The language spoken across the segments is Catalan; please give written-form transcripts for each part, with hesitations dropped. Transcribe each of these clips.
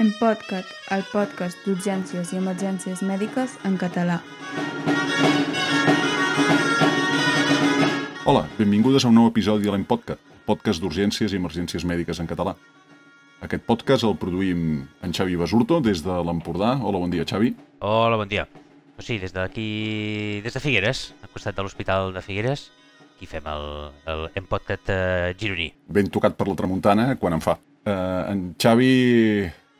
EMPodcast, el podcast d'urgències i emergències mèdiques en català. Hola, benvingudes a un nou episodi de l'EMPodcast, podcast d'urgències i emergències mèdiques en català. Aquest podcast el produïm en Xavi Basurto des de l'Empordà. Hola, bon dia, Xavi. Hola, bon dia. Doncs sí, des d'aquí, des de Figueres, al costat de l'Hospital de Figueres, aquí fem el EMPodcast gironí. Ben tocat per la tramuntana, quan en fa. En Xavi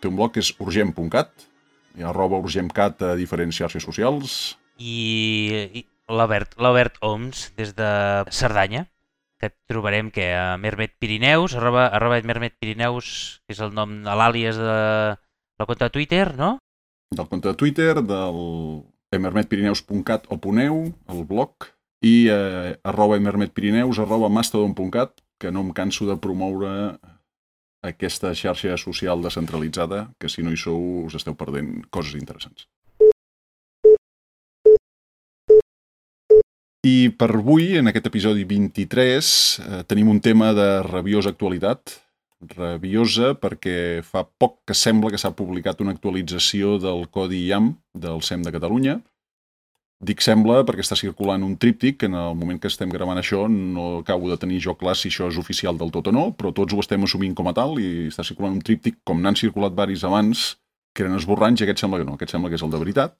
té un blog que és urgent.cat, hi ha @urgentcat a diferents xarxes socials. I l'Albert Oms, des de Cerdanya, que et trobarem que a Mermet Pirineus, arroba Mermet Pirineus, que és el nom, l'àlies de la compte de Twitter, no? Del compte de Twitter, del emermetpirineus.cat o .eu, el blog, i @emermetpirineus, @mastodon.cat, que no em canso de promoure aquesta xarxa social descentralitzada, que si no hi sou us esteu perdent coses interessants. I per avui, en aquest episodi 23, tenim un tema de rabiosa actualitat. Rabiosa perquè fa poc que sembla que s'ha publicat una actualització del codi IAM del SEM de Catalunya. Dic sembla perquè està circulant un tríptic, en el moment que estem gravant això no acabo de tenir jo clar si això és oficial del tot o no, però tots ho estem assumint com a tal i està circulant un tríptic, com n'han circulat varis abans, que eren esborranys, i aquest sembla que no, aquest sembla que és el de veritat.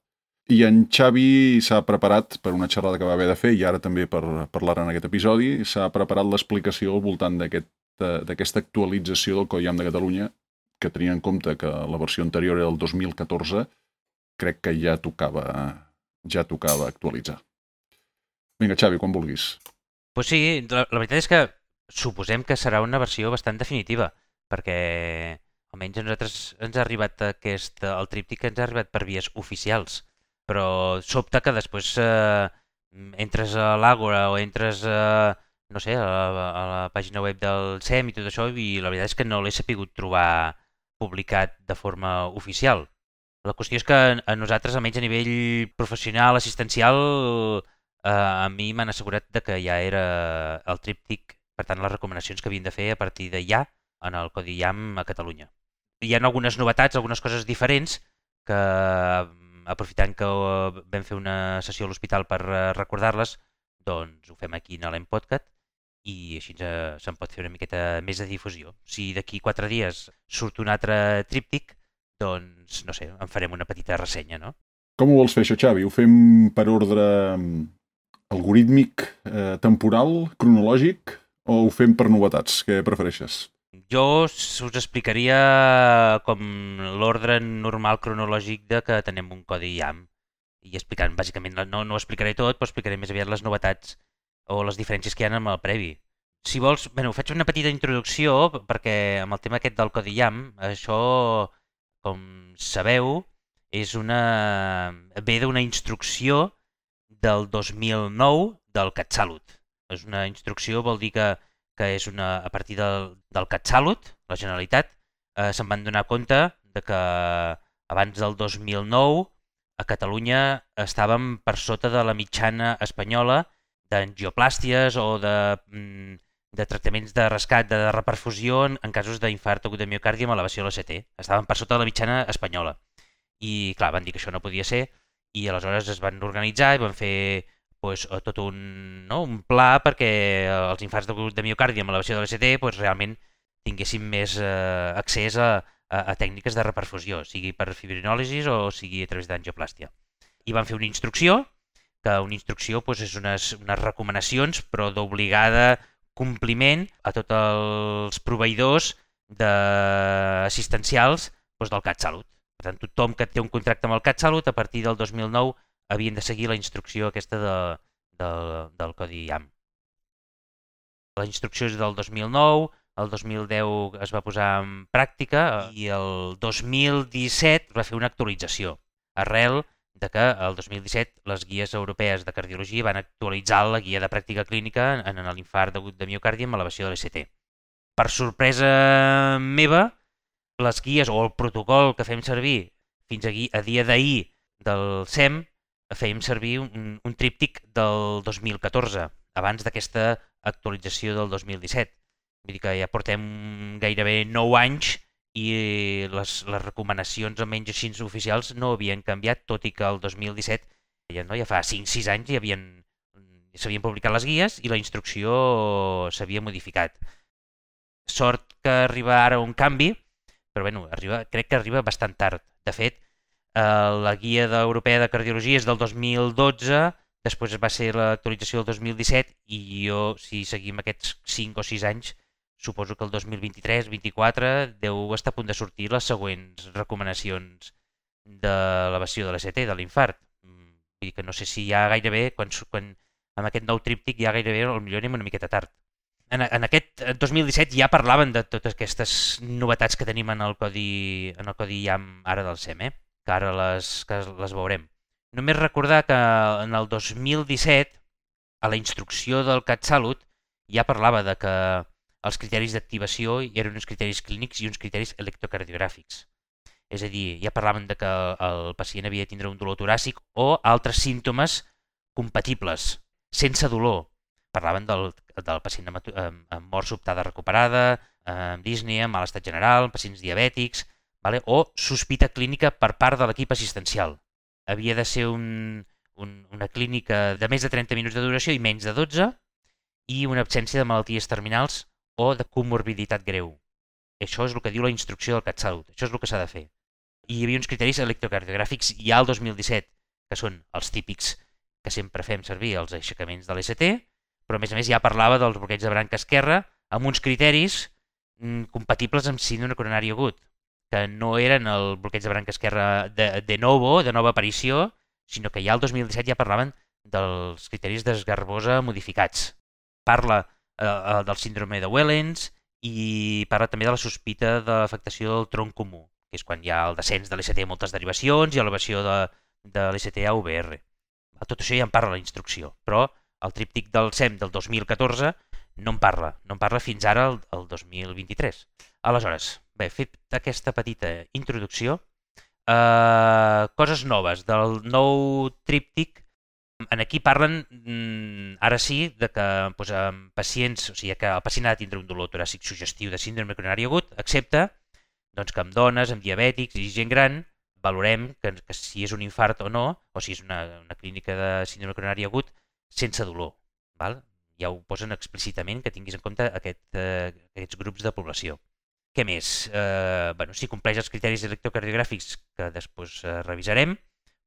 I en Xavi s'ha preparat per una xerrada que va haver de fer, i ara també per parlar en aquest episodi, s'ha preparat l'explicació al voltant d'aquesta actualització del Codi IAM de Catalunya, que tenia en compte que la versió anterior era del 2014, crec que ja tocava actualitzar. Vinga, Xavi, quan vulguis. Pues sí, la veritat és que suposem que serà una versió bastant definitiva, perquè almenys a nosaltres ens ha arribat el tríptic ens ha arribat per vies oficials, però sobta que després entres a l'Àgora o entres no sé, a la pàgina web del SEM i tot això, i la veritat és que no l'he sapigut trobar publicat de forma oficial. La qüestió és que a nosaltres, almenys a nivell professional, assistencial, a mi m'han assegurat que ja era el tríptic, per tant les recomanacions que havien de fer a partir de ja en el Codi IAM a Catalunya. Hi ha algunes novetats, algunes coses diferents, que aprofitant que vam fer una sessió a l'hospital per recordar-les, doncs ho fem aquí a l'EMPodcast i així se'n pot fer una miqueta més de difusió. Si d'aquí 4 dies surt un altre tríptic, doncs, no sé, en farem una petita ressenya, no? Com ho vols fer això, Xavi? Ho fem per ordre algorítmic, temporal, cronològic, o ho fem per novetats? Què prefereixes? Jo us explicaria com l'ordre normal cronològic de que tenim un codi IAM i explicant, bàsicament, no ho explicaré tot, però explicaré més aviat les novetats o les diferències que hi ha amb el previ. Si vols, faig una petita introducció perquè amb el tema aquest del codi IAM, això, com sabeu, ve d'una instrucció del 2009 del CatSalut. És una instrucció, vol dir que és a partir del CatSalut, la Generalitat, se'n van donar compte de que abans del 2009 a Catalunya estàvem per sota de la mitjana espanyola d'angioplàsties o de tractaments de rescat, de reperfusió en casos d'infart agut de miocardi amb elevació de l'ACT. Estàvem per sota de la mitjana espanyola. I clar, van dir que això no podia ser i aleshores es van organitzar i van fer tot un pla perquè els infarts de miocardi amb elevació de l'ACT realment tinguessin més accés a tècniques de reperfusió, sigui per fibrinòlisis o sigui a través d'angioplàstia. I van fer una instrucció, que una instrucció és unes recomanacions, però d'obligada compliment a tots els proveïdors assistencials del CatSalut. Per tant, tothom que té un contracte amb el CatSalut, a partir del 2009, havien de seguir la instrucció aquesta del codi IAM. La instrucció és del 2009, el 2010 es va posar en pràctica i el 2017 es va fer una actualització, arrel de que el 2017 les guies europees de cardiologia van actualitzar la guia de pràctica clínica en l'infart agut de miocardi amb elevació de l'ACT. Per sorpresa meva, les guies o el protocol que fem servir fins a dia d'ahir del SEM fèiem servir un tríptic del 2014, abans d'aquesta actualització del 2017. Vull dir que ja portem gairebé 9 anys i les recomanacions almenys així oficials no havien canviat, tot i que el 2017, ja fa 5-6 anys, s'havien publicat les guies i la instrucció s'havia modificat. Sort que arriba ara un canvi, però bueno, crec que arriba bastant tard. De fet, la guia europea de cardiologia és del 2012, després va ser l'actualització del 2017 i jo, si seguim aquests 5 o 6 anys, suposo que el 2023-24 deu estar a punt de sortir les següents recomanacions de l'elevació de l'ECT, de l'infart. Vull dir que no sé si ja gairebé, quan amb aquest nou tríptic ja gairebé potser anem una miqueta tard. En aquest 2017 ja parlaven de totes aquestes novetats que tenim en el codi IAM ara del SEM, que ara les veurem. Només recordar que en el 2017, a la instrucció del CatSalut, ja parlava de que els criteris d'activació eren uns criteris clínics i uns criteris electrocardiogràfics. És a dir, ja parlaven de que el pacient havia de tindre un dolor toràcic o altres símptomes compatibles, sense dolor. Parlaven del pacient amb mort sobtada recuperada, amb dísnia, amb mal estat general, pacients diabètics, o sospita clínica per part de l'equip assistencial. Havia de ser una clínica de més de 30 minuts de duració i menys de 12 i una absència de malalties terminals o de comorbiditat greu. Això és el que diu la instrucció del CatSalut, això és el que s'ha de fer. I hi havia uns criteris electrocardiogràfics ja al 2017, que són els típics que sempre fem servir, els aixecaments de l'ECT, però a més ja parlava dels bloqueig de branca esquerra amb uns criteris compatibles amb síndrome coronari agut, que no eren el bloqueig de branca esquerra de nova aparició, sinó que ja al 2017 ja parlaven dels criteris d'Esgarbosa modificats. Parla del síndrome de Wellens i parla també de la sospita de l'afectació del tronc comú, que és quan hi ha el descens de l'ECT a moltes derivacions i elevació de l'ECT a UVR. Tot això ja en parla la instrucció, però el tríptic del SEM del 2014 no en parla fins ara el 2023. Aleshores, bé, fet aquesta petita introducció, coses noves del nou tríptic. Aquí parlen, ara sí, de que pacients, o sigui que el pacient ha de tindre un dolor toràcic suggestiu de síndrome coronari agut, excepte que amb dones, amb diabètics i gent gran, valorem que si és un infart o no, o si és una clínica de síndrome coronari agut, sense dolor. Ja ho posen explícitament, que tinguis en compte aquests grups de població. Què més? Si compleix els criteris electrocardiogràfics que després revisarem,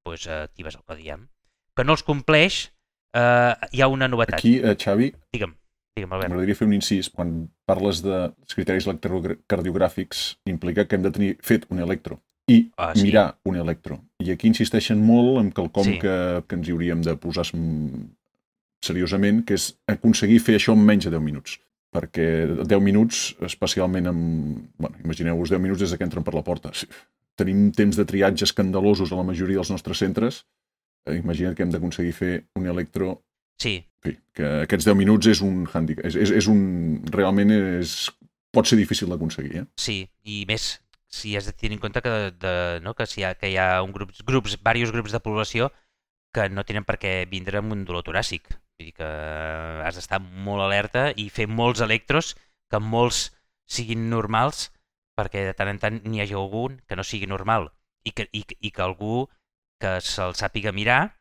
actives el codi IAM. Que no els compleix, hi ha una novetat. Aquí, Xavi, Digue'm, Albert. M'agradaria fer un incís. Quan parles dels criteris electrocardiogràfics, implica que hem de tenir fet un electro i mirar un electro. I aquí insisteixen molt en quelcom que ens hi hauríem de posar seriosament, que és aconseguir fer això en menys de 10 minuts. Perquè 10 minuts, especialment imagineu-vos 10 minuts des que entren per la porta. Tenim temps de triatge escandalosos a la majoria dels nostres centres. Imagina't que hem d'aconseguir fer un electro. Sí. Que aquests 10 minuts és un hàndicap. Realment pot ser difícil d'aconseguir. Sí, i més si has de tenir en compte que hi ha diversos grups de població que no tenen per què vindre amb un dolor toràcic. Vull dir que has d'estar molt alerta i fer molts electros, que molts siguin normals, perquè de tant en tant n'hi hagi algun que no sigui normal i que algú que se'l sàpiga mirar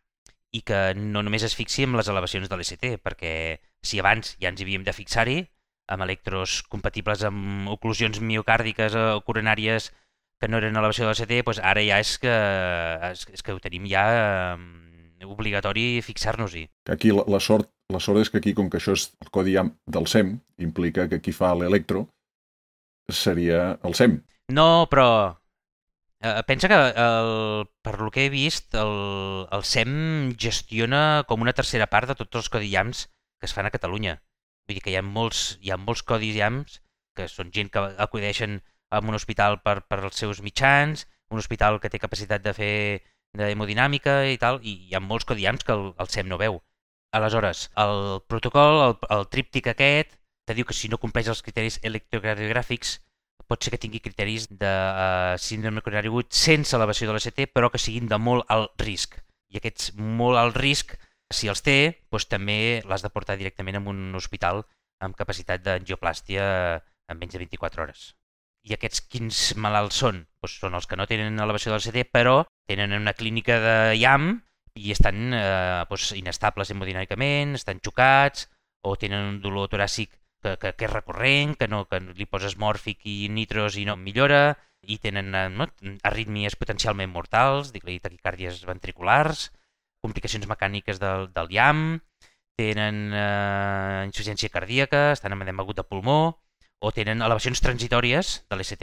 i que no només es fixi en les elevacions de l'ECT, perquè si abans ja ens hi havíem de fixar-hi, amb electros compatibles amb oclusions miocàrdiques o coronàries que no eren elevació de l'ECT, ara ja és que ho tenim ja obligatori fixar-nos-hi. Aquí la sort és que aquí, com que això és el codi IAM del SEM, implica que qui fa l'electro seria el SEM. No, però pensa que per lo que he vist el SEM gestiona com una tercera part de tots els codi IAMs que es fan a Catalunya. Vull dir que hi ha molts codis IAMs que són gent que acudeixen a un hospital per als seus mitjans, un hospital que té capacitat de fer d'hemodinàmica i tal, i hi ha molts codi IAMs que el SEM no veu. Aleshores, el protocol, el tríptic aquest, te diu que si no compleix els criteris electrocardiogràfics pot ser que tingui criteris de síndrome coronari agut sense elevació de l'ECT, però que siguin de molt alt risc. I aquests molt alt risc, si els té, doncs també l'has de portar directament a un hospital amb capacitat d'angioplàstia en menys de 24 hores. I aquests quins malalts són? Doncs són els que no tenen elevació de l'ECT, però tenen una clínica de IAM i estan inestables hemodinàmicament, estan xocats, o tenen un dolor toràcic que és recurrent, que li poses mòrfic i nitros i no millora, i tenen arrítmies potencialment mortals, taquicàrdies ventriculars, complicacions mecàniques del IAM, tenen insuficiència cardíaca, estan amb edema agut de pulmó, o tenen elevacions transitòries de l'ECT.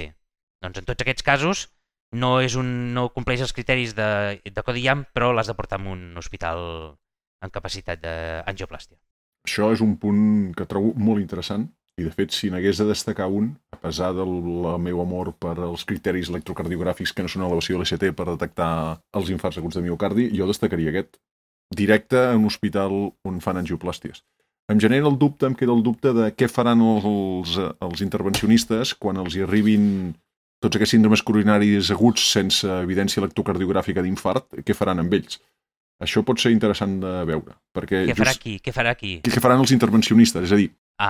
Doncs en tots aquests casos no compleix els criteris de codi IAM, però l'has de portar a un hospital en capacitat d'angioplàstia. Això és un punt que trobo molt interessant i, de fet, si n'hagués de destacar un, a pesar del meu amor per als criteris electrocardiogràfics que no són elevació de l'ECT per detectar els infarts aguts de miocardi, jo destacaria aquest, directe a un hospital on fan angioplàsties. Em queda el dubte de què faran els intervencionistes quan els hi arribin tots aquests síndromes coronaris aguts sense evidència electrocardiogràfica d'infart, què faran amb ells? Això pot ser interessant de veure. Perquè Què farà qui? Què farà qui? Què faran els intervencionistes? És a dir...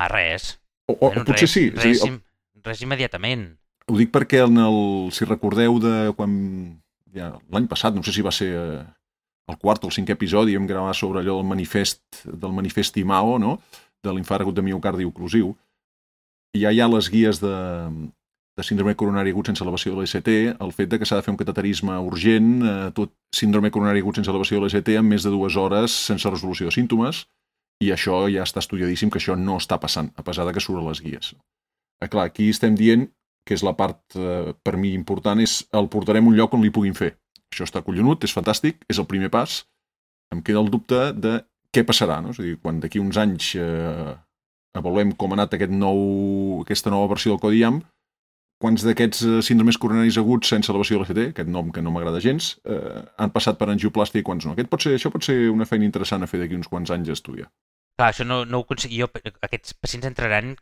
Res. O potser sí. Res immediatament. Ho dic perquè si recordeu de quan... l'any passat, no sé si va ser el quart o el cinquè episodi, vam gravar sobre allò del manifest IMAO, no? De l'infart agut de miocardi oclusiu. I ja hi ha les guies de síndrome coronari agut sense elevació de l'ECT, el fet de que s'ha de fer un cateterisme urgent, tot síndrome coronari agut sense elevació de l'ECT en més de 2 hores sense resolució de símptomes, i això ja està estudiadíssim que això no està passant, a pesar de que surt a les guies. Clar, aquí estem dient que és la part, per mi, important, és el portarem a un lloc on li puguin fer. Això està collonut, és fantàstic, és el primer pas. Em queda el dubte de què passarà, no? És a dir, quan d'aquí uns anys avaluem com ha anat aquesta nova versió del codi IAM, quants d'aquests síndromes coronaris aguts sense elevació de l'ECT, aquest nom que no m'agrada gens, han passat per angioplàstia i quants no. Això pot ser una feina interessant a fer d'aquí uns quants anys a estudiar. Clar, això no ho aconseguia. Aquests pacients entraran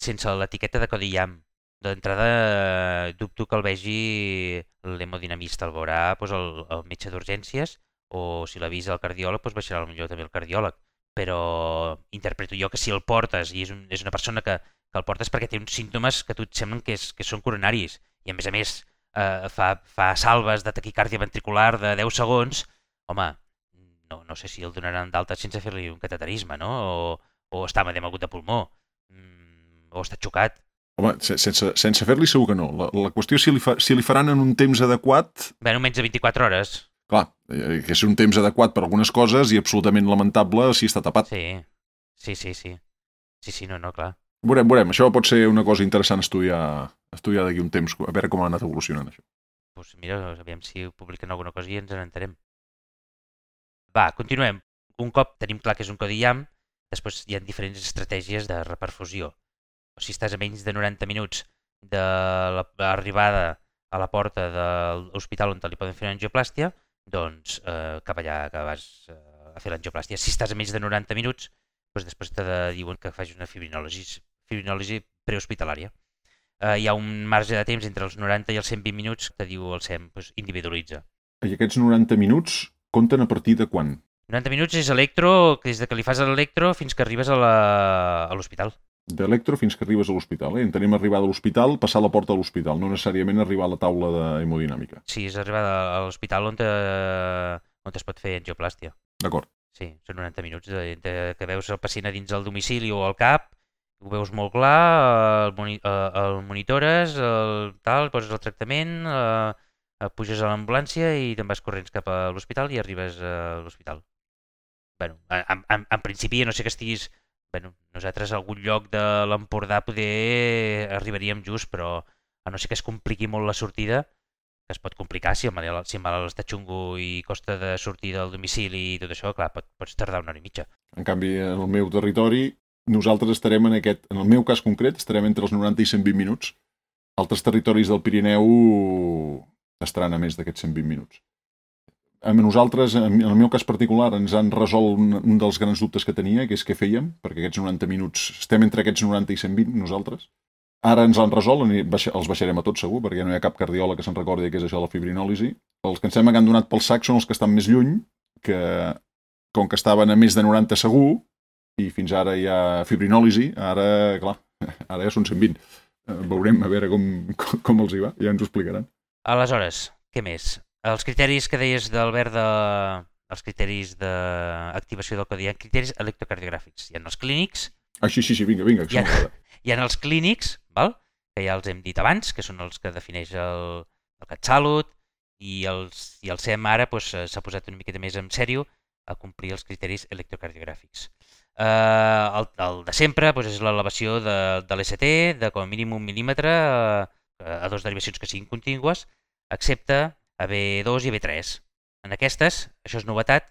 sense l'etiqueta de codi IAM. D'entrada, dubto que el vegi l'hemodinamista, el veurà el metge d'urgències, o si l'avisa el cardiòleg, baixarà potser també el cardiòleg. Però interpreto jo que si el portes i és una persona que el portes perquè té uns símptomes que a tu et semblen que són coronaris i a més fa salves de taquicàrdia ventricular de 10 segons, home, no sé si el donaran d'alta sense fer-li un cateterisme, no? O està amb edema agut de pulmó, o està xocat. Home, sense fer-li segur que no. La qüestió és si li faran en un temps adequat... Bé, menys de 24 hores. Clar, que és un temps adequat per algunes coses i absolutament lamentable si està tapat. Sí, no, clar. Veurem. Això pot ser una cosa interessant estudiar d'aquí un temps, a veure com ha anat evolucionant això. Doncs mira, aviam si publiquen alguna cosa i ens n'enterem. Va, continuem. Un cop tenim clar que és un codi IAM, després hi ha diferents estratègies de reperfusió. Si estàs a menys de 90 minuts de l'arribada a la porta de l'hospital on li poden fer una angioplàstia, doncs cap allà que vas a fer l'angioplàstia. Si estàs a menys de 90 minuts, doncs després te diuen que facis una fibrinòlisi prehospitalària. Hi ha un marge de temps entre els 90 i els 120 minuts que diu el SEM, individualitza. I aquests 90 minuts compten a partir de quan? 90 minuts és electro, des que li fas l'electro fins que arribes a l'hospital. D'electro fins que arribes a l'hospital. Entenem arribar a l'hospital, passar a la porta de l'hospital, no necessàriament arribar a la taula d'hemodinàmica. Sí, és arribar a l'hospital on es pot fer angioplàstia. D'acord. Sí, són 90 minuts que veus el pacient a dins del domicili o al CAP, ho veus molt clar, el monitores, poses el tractament, puges a l'ambulància i te'n vas corrents cap a l'hospital i arribes a l'hospital. Bueno, en principi, no sé que estiguis... Bueno, nosaltres a algun lloc de l'Empordà poder arribaríem just, però a no ser que es compliqui molt la sortida, que es pot complicar si el malalt està xungo i costa de sortir del domicili i tot això, clar, pots tardar 1 hora i mitja. En canvi, en el meu territori, nosaltres estarem en el meu cas concret, estarem entre els 90 i 120 minuts. Altres territoris del Pirineu estaran a més d'aquests 120 minuts. A nosaltres, en el meu cas particular, ens han resolt un dels grans dubtes que tenia, que és què fèiem, perquè aquests 90 minuts, estem entre aquests 90 i 120 nosaltres. Ara ens l'han resolt, els baixarem a tots segur, perquè no hi ha cap cardiòleg que se'n recordi què és això de la fibrinòlisi. Els que ens hem donat pel sac són els que estan més lluny, que com que estaven a més de 90 segur, i fins ara hi ha fibrinòlisi, ara ja són 120. Veurem a veure com els hi va, ja ens ho explicaran. Aleshores, què més? Els criteris que deies d'Albert els criteris d'activació del codi, hi ha criteris electrocardiogràfics. Hi ha els clínics. Sí, vinga, hi ha els clínics, val? Que ja els hem dit abans, que són els que defineix el CatSalut, i el SEM ara s'ha posat una miqueta més en sèrio a complir els criteris electrocardiogràfics. El de sempre és l'elevació de l'ECT de com a mínim 1 mil·límetre a dues derivacions que siguin contínues, excepte a B2 i a B3. En aquestes, això és novetat,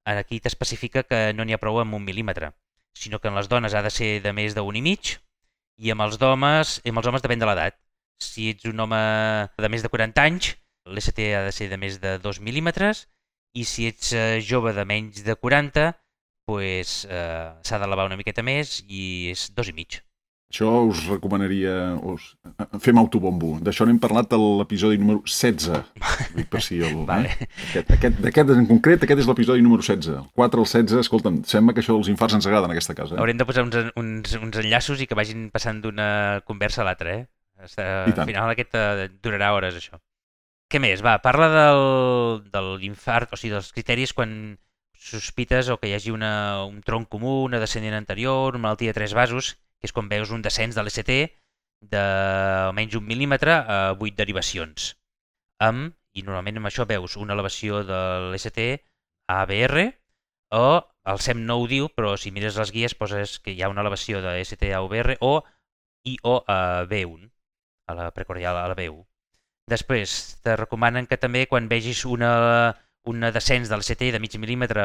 aquí t'especifica que no n'hi ha prou amb 1 mil·límetre, sinó que en les dones ha de ser de més d'1,5 i amb els homes depèn de l'edat. Si ets un home de més de 40 anys, l'ECT ha de ser de més de 2 mil·límetres i si ets jove de menys de 40, s'ha d'elevar una miqueta més i és 2,5. Això us recomanaria... Fem autobombo. D'això n'hem parlat a l'episodi número 16. Per si vale. D'aquest en concret, aquest és l'episodi número 16. El 4 al 16, escolta'm, sembla que això dels infarts ens agrada en aquesta casa. Haurem de posar uns enllaços i que vagin passant d'una conversa a l'altra, Al final aquest durarà hores, això. Què més? Va, parla de l'infart, o sigui, dels criteris quan sospites o que hi hagi un tronc comú, una descendent anterior, una malaltia de 3 vasos, que és quan veus un descens de l'ECT de almenys 1 mil·límetre a 8 derivacions. I normalment amb això veus una elevació de l'ECT a ABR, o el SEM no ho diu, però si mires les guies poses que hi ha una elevació de l'ECT a ABR o a B1, a la precordial, a la B1. Després, te recomanen que també quan vegis una descens de l'ECT de mig mil·límetre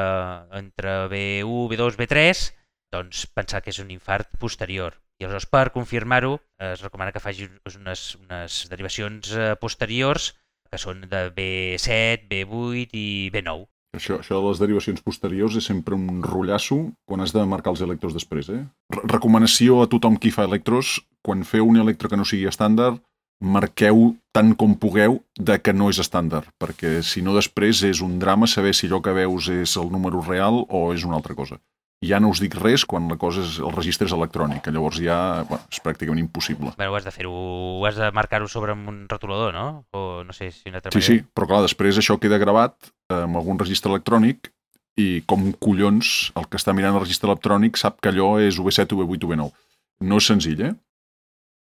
entre B1, B2, B3, doncs pensar que és un infart posterior. I aleshores, per confirmar-ho, es recomana que facis unes derivacions posteriors que són de B7, B8 i B9. Això de les derivacions posteriors és sempre un rotllasso quan has de marcar els electros després. Recomanació a tothom qui fa electros, quan feu un electro que no sigui estàndard, marqueu tant com pugueu de que no és estàndard, perquè si no després és un drama saber si allò que veus és el número real o és una altra cosa. Ja no us dic res quan la cosa el registre és electrònic, que llavors ja és pràcticament impossible. Però has de fer-ho, has de marcar-ho sobre un rotulador, no? O no sé si una altra manera. Sí, però clar, després això queda gravat amb algun registre electrònic i com collons el que està mirant el registre electrònic sap que allò és UB7, UB8, UB9. No és senzill,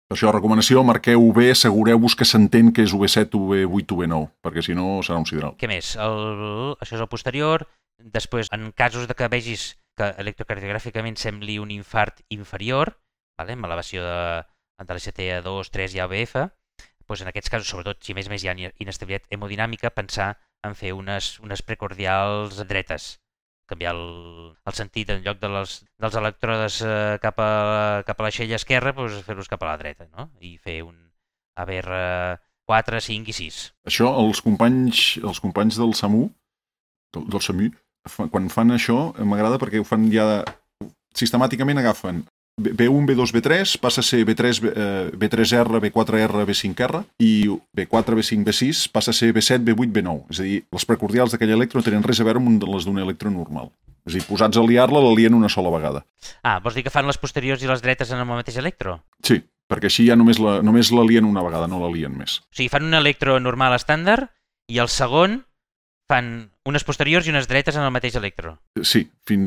Per això, recomanació, marqueu bé, assegureu-vos que s'entén que és UB7, UB8, UB9, perquè si no serà un sidral. Què més? Això és el posterior. Després, en casos de que vegis que electrocardiogràficament sembli un infart inferior, amb elevació de l'ECT a 2, 3 i ABF, doncs en aquests casos, sobretot si més hi ha inestabilitat hemodinàmica, pensar en fer unes precordials dretes, canviar el sentit, en lloc dels electrodes cap a l'aixella esquerra, fer-los cap a la dreta, no? I fer un ABR 4, 5 i 6. Això, els companys del SAMU, del SAMU, quan fan això, m'agrada perquè ho fan ja... Sistemàticament agafen B1, B2, B3, passa a ser B3, B3R, B4R, B5R, i B4, B5, B6 passa a ser B7, B8, B9. És a dir, les precordials d'aquell electro no tenen res a veure amb les d'un electro normal. És a dir, posats a liar-la, la lien una sola vegada. Vols dir que fan les posteriors i les dretes en el mateix electro? Sí, perquè així ja només la lien una vegada, no la lien més. O sigui, fan un electro normal estàndard i el segon fan unes posteriors i unes dretes en el mateix electro. Sí,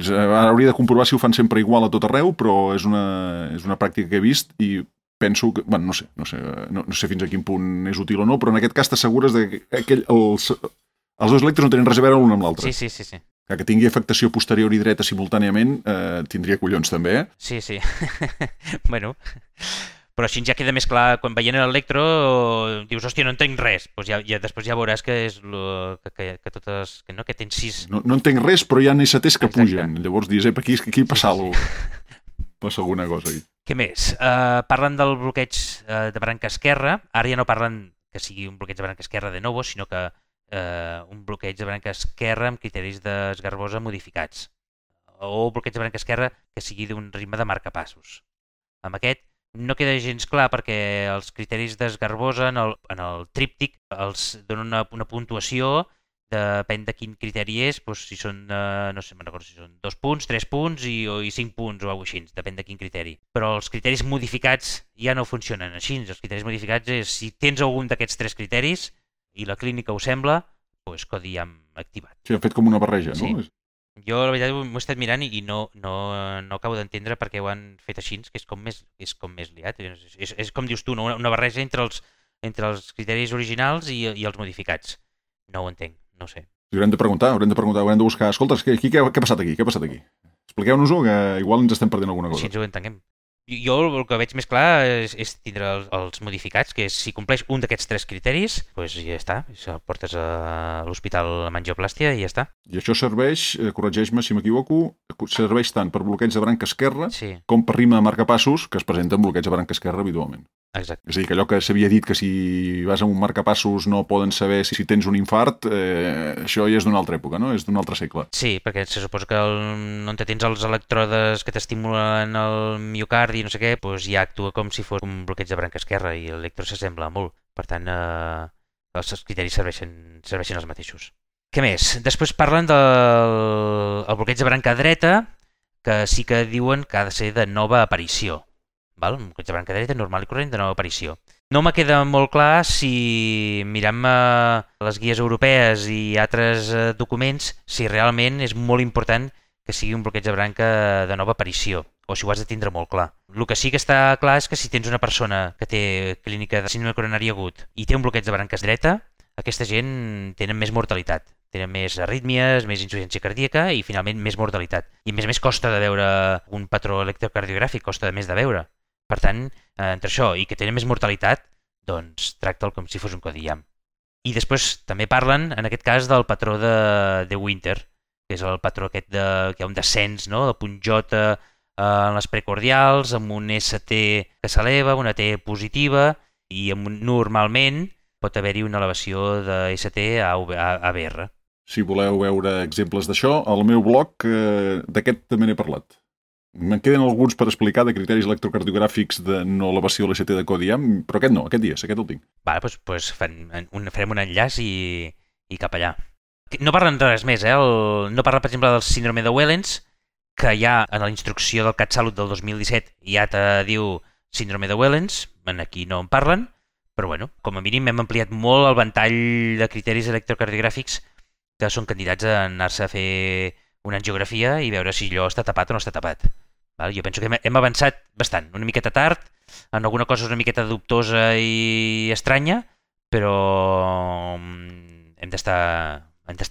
ara hauria de comprovar si ho fan sempre igual a tot arreu, però és una pràctica que he vist i penso que... Bueno, no sé fins a quin punt és útil o no, però en aquest cas t'assegures que els dos electros no tenen res a veure l'un amb l'altre. Sí. Que tingui afectació posterior i dreta simultàniament tindria collons també, Sí. Bueno... Però així ja queda més clar, quan veient l'electro dius, hòstia, no entenc res. Després ja veuràs que és que totes... que tens 6... No entenc res, però hi ha NSTs que pugen. Llavors dius, aquí passa alguna cosa. Passa alguna cosa aquí. Què més? Parlen del bloqueig de branca esquerra. Ara ja no parlen que sigui un bloqueig de branca esquerra de novo, sinó que un bloqueig de branca esquerra amb criteris d'esgarbosa modificats. O bloqueig de branca esquerra que sigui d'un ritme de marcapassos. Amb aquest no queda gens clar perquè els criteris d'esgarbosa en el tríptic els donen una puntuació depèn de quin criteri és, doncs si són, no sé, me'n recordo si són 2 punts, 3 punts i 5 punts o alguna cosa així, depèn de quin criteri. Però els criteris modificats ja no funcionen així. Els criteris modificats és si tens algun d'aquests 3 criteris i la clínica ho sembla, doncs codi IAM activat. Sí, han fet com una barreja, Sí. no? Jo, la veritat, m'ho he estat mirant i no acabo d'entendre per què ho han fet així, que és com més liat. És com dius tu, no? Una barreja entre els criteris originals i els modificats. No ho entenc, no ho sé. Haurem de preguntar, haurem de buscar. Escolta, què ha passat aquí? Què ha passat aquí? Expliqueu-nos-ho, que igual ens estem perdent alguna cosa. Si ens ho entenguem. Jo el que veig més clar és tindre els modificats, que és si compleix un d'aquests 3 criteris, doncs ja està, el portes a l'hospital amb angioplàstia i ja està. I això serveix, corregeix-me si m'equivoco, serveix tant per bloqueig de branca esquerra com per rima de marcapassos, que es presenta en bloqueig de branca esquerra habitualment. Exacte. És a dir, que allò que s'havia dit que si vas a un marcapassos no poden saber si tens un infart, això ja és d'una altra època, no? És d'un altre segle. Sí, perquè se suposa que on tens els electrodes que t'estimulen el miocardi i no sé què, doncs ja actua com si fos un bloqueig de branca esquerra i l'electro s'assembla molt. Per tant, els criteris serveixen els mateixos. Què més? Després parlen del bloqueig de branca dreta, que sí que diuen que ha de ser de nova aparició. Val? Un bloqueig de branca dreta normal i corrent de nova aparició. No me queda molt clar si mirant les guies europees i altres documents, si realment és molt important que sigui un bloqueig de branca de nova aparició, o si ho has de tindre molt clar. El que sí que està clar és que si tens una persona que té clínica de síndrome coronari agut i té un bloqueig de branques dreta, aquesta gent tenen més mortalitat. Tenen més arrítmies, més insuficiència cardíaca i finalment més mortalitat. I a més costa de veure un patró electrocardiogràfic, costa més de veure. Per tant, entre això i que tenen més mortalitat, doncs tracta'l com si fos un codi IAM. I després també parlen, en aquest cas, del patró de Winter, que és el patró aquest que hi ha un descens, no? De punt J en les precordials, amb un ST que s'eleva, una T positiva, i normalment pot haver-hi una elevació de ST a ABR. Si voleu veure exemples d'això, al meu blog d'aquest també n'he parlat. Me'n queden alguns per explicar de criteris electrocardiogràfics de no elevació a l'ST de codi IAM, però aquest no, aquest el tinc. Vale, doncs farem un enllaç i cap allà. No parlen res més, no parla, per exemple, del síndrome de Wellens, que ja en la instrucció del CatSalut del 2017 ja te diu síndrome de Wellens, aquí no en parlen, però bueno, com a mínim hem ampliat molt el ventall de criteris electrocardiogràfics que són candidats a anar-se a fer una angiografia i veure si allò està tapat o no està tapat. Jo penso que hem avançat bastant, una miqueta tard, en alguna cosa una miqueta dubtosa i estranya, però hem d'estar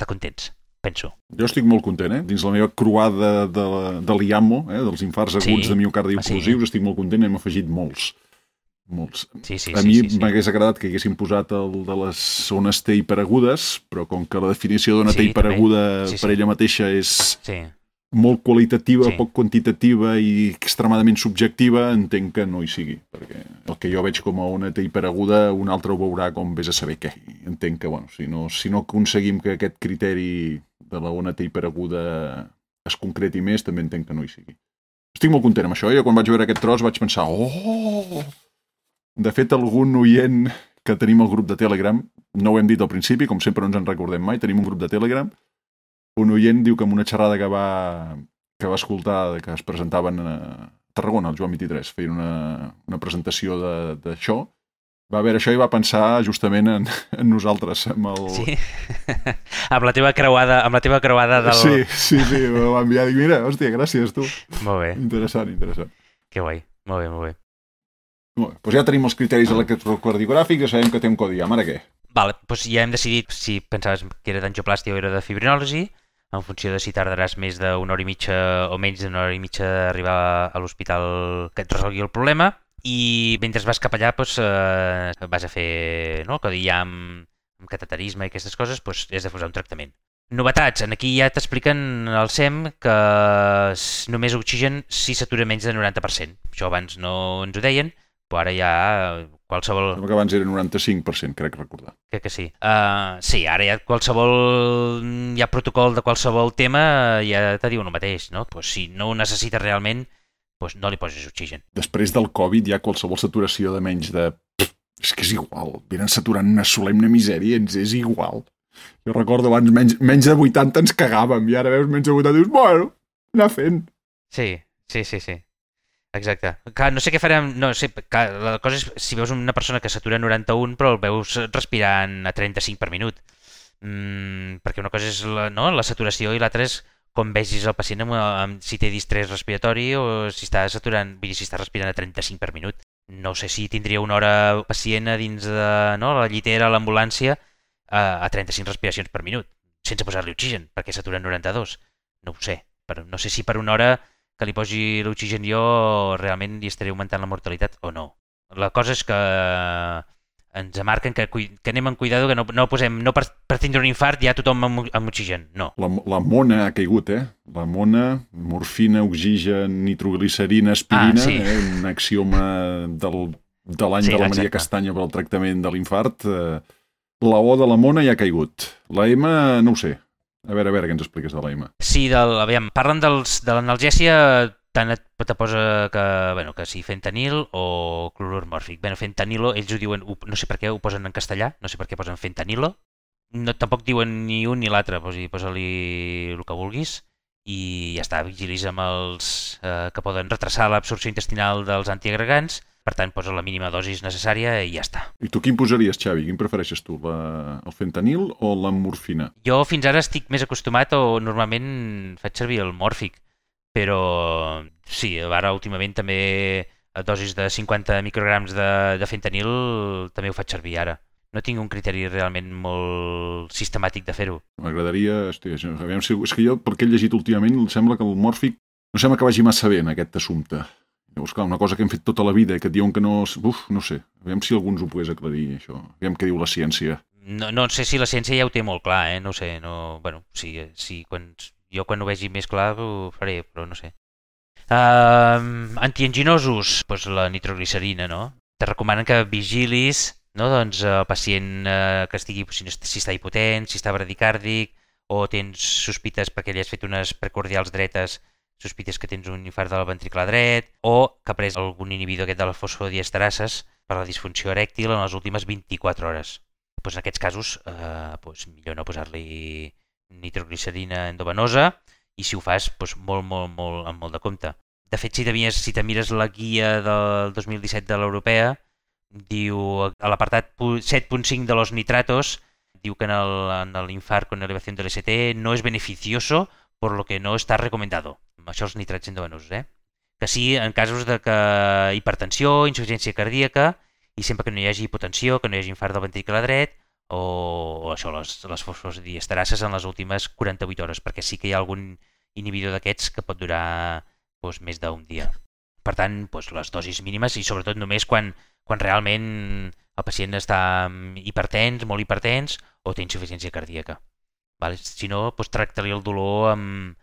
contents, penso. Jo estic molt content, dins la meva croada de l'IAMO, dels infarts aguts de miocardi oclusius, estic molt content, hem afegit molts. A mi m'hagués agradat que haguéssim posat el de les zones T hiperagudes, però com que la definició d'una T hiperaguda per ella mateixa és molt qualitativa, poc quantitativa i extremadament subjectiva, entenc que no hi sigui, perquè el que jo veig com a una T hiperaguda, un altre ho veurà com vés a saber què. Entenc que, si no aconseguim que aquest criteri de la ona T hiperaguda es concreti més, també entenc que no hi sigui. Estic molt content amb això, jo quan vaig veure aquest tros vaig pensar, De fet, algun oient que tenim al grup de Telegram, no ho hem dit al principi, com sempre no ens en recordem mai, tenim un grup de Telegram, un oient diu que en una xerrada que va escoltar, que es presentaven a Tarragona, el Joan 23, feien una presentació d'això, va veure això i va pensar justament en nosaltres, amb el... Sí, amb la teva creuada del... Sí, m'ho va enviar, dic, mira, hòstia, gràcies, tu. Molt bé. Interessant. Que guai, molt bé. Doncs ja tenim els criteris electrocardiogràfics, ja sabem que té un codi IAM, ara què? Vale, doncs ja hem decidit si pensaves que era d'angioplàstia o era de fibrinòlisi, en funció de si tardaràs més d'una hora i mitja o menys d'una hora i mitja d'arribar a l'hospital que et resolgui el problema, i mentre vas cap allà vas a fer el codi IAM amb cateterisme i aquestes coses, has de posar un tractament. Novetats, aquí ja t'expliquen al SEM que només oxigen si s'atura menys de 90%. Això abans no ens ho deien, però ara ja qualsevol... Sembla que abans era 95%, crec recordar. Crec que sí. Sí, ara ja qualsevol protocol de qualsevol tema ja te diu el mateix, no? Si no ho necessites realment, no li posis oxigen. Després del Covid hi ha qualsevol saturació de menys de... És que és igual, venen saturant una solemne misèria, ens és igual. Jo recordo abans menys de 80 ens cagàvem i ara veus menys de 80 i dius, bueno, anar fent. Sí. Exacte. Clar, no sé què farem... No sé, clar, la cosa és si veus una persona que satura 91 però el veus respirant a 35 per minut. Perquè una cosa és la saturació i l'altra és com vegis el pacient si té distrés respiratori o si està saturant, vull dir, si està respirant a 35 per minut. No sé si tindria una hora pacient a dins de la llitera, a l'ambulància, a 35 respiracions per minut, sense posar-li oxigen, perquè satura 92. No ho sé. Però no sé si per una hora que li posi l'oxigen jo realment li estaré augmentant la mortalitat o no. La cosa és que ens marquen que anem amb cuidado, que no posem, no per tindre un infart ja tothom amb oxigen, no. La mona ha caigut, La mona, morfina, oxigen, nitroglicerina, aspirina, sí. Un axioma de l'any de la Maria Castanya per al tractament de l'infart. La O de la mona ja ha caigut. La M, no ho sé. A veure què ens expliques de la M. Sí, aviam, parlen de l'analgèsia, tant te posa que si fentanil o clorur mòrfic. Fentanilo, ells ho diuen, no sé per què ho posen en castellà, no sé per què posen fentanilo. No, tampoc diuen ni un ni l'altre, posa-li el que vulguis i ja està, vigilis amb els que poden retrasar l'absorció intestinal dels antiagregants, per tant posa la mínima dosis necessària i ja està. I tu quin posaries, Xavi? Quin prefereixes tu, el fentanil o la morfina? Jo fins ara estic més acostumat o normalment faig servir el mòrfic, però sí, ara últimament també a dosis de 50 micrograms de fentanil també ho faig servir ara. No tinc un criteri realment molt sistemàtic de fer-ho. M'agradaria... és que jo, perquè he llegit últimament, em sembla que el mòrfic no sembla que vagi massa bé en aquest assumpte. Llavors, clar, una cosa que hem fet tota la vida i que et diuen que no... no sé. Aviam si algú ens ho pogués aclarir, això. Aviam què diu la ciència. No sé si la ciència ja ho té molt clar, No sé, jo quan ho vegi més clar ho faré, però no sé. Antianginosos, doncs la nitroglicerina, no? Te recomanen que vigilis, no? Doncs el pacient que estigui, si està hipotent, si està bradicàrdic, o tens sospites perquè li has fet unes precordials dretes, sospites que tens un infart del ventricle dret, o que ha pres algun inhibidor aquest de les fosfodiesterases per la disfunció erèctil en les últimes 24 hores. Doncs en aquests casos, millor no posar-li nitroglicerina endovenosa i si ho fas, amb molt de compte. De fet, si te mires la guia del 2017 de l'europea, diu a l'apartat 7.5 de los nitratos, diu que en l'infart con elevación del ST no es beneficioso por lo que no está recomendado. Això els nitrats endovenosos, Que sí, en casos de hipertensió, insuficiència cardíaca, i sempre que no hi hagi hipotensió, que no hi hagi infart del ventricle dret, o això, les fosfodiesterases en les últimes 48 hores, perquè sí que hi ha algun inhibidor d'aquests que pot durar més d'un dia. Per tant, les dosis mínimes i sobretot només quan realment el pacient està hipertens, molt hipertens, o té insuficiència cardíaca. Si no, tracta-li el dolor amb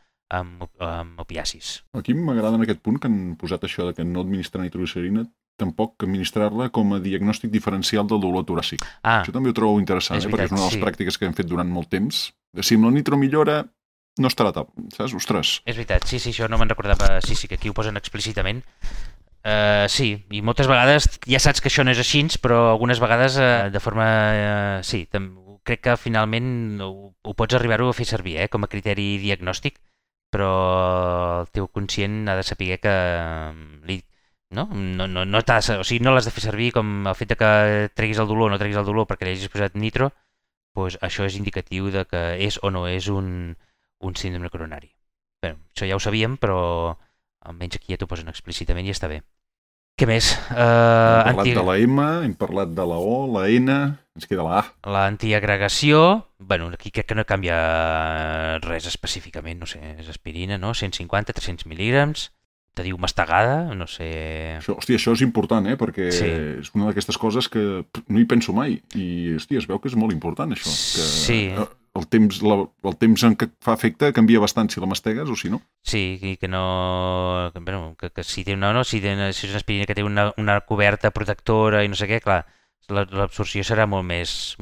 opiacis. Aquí m'agrada en aquest punt que han posat això de que no administrar nitroglicerina, tampoc administrar-la com a diagnòstic diferencial del dolor toràcic. Això també ho trobo interessant, perquè és una de les pràctiques que hem fet durant molt temps. Si amb la nitro millora, no estarà top, saps? Ostres. És veritat, sí, això no me'n recordava. Sí, que aquí ho posen explícitament. Sí, i moltes vegades ja saps que això no és així, però algunes vegades de forma... Sí, crec que finalment ho pots arribar-ho a fer servir com a criteri diagnòstic, però el teu conscient ha de saber que no l'has de fer servir com el fet que treguis el dolor o no treguis el dolor perquè li hagis posat nitro, això és indicatiu de que és o no és un síndrome coronari. Bé, això ja ho sabíem, però almenys aquí ja t'ho posen explícitament i està bé. Què més? Hem parlat de la M, hem parlat de la O, la N, ens queda la A. L'antiagregació, aquí crec que no canvia res específicament, no sé, és aspirina, no? 150, 300 mil·lígrams, te diu mastegada, no sé... Això és important, perquè és una d'aquestes coses que no hi penso mai i, es veu que és molt important, això. Sí. El temps en què fa efecte canvia bastant si la mastegues o si no. Sí, i que no... que si té si és una aspirina que té una coberta protectora i no sé què, clar, l'absorció serà molt més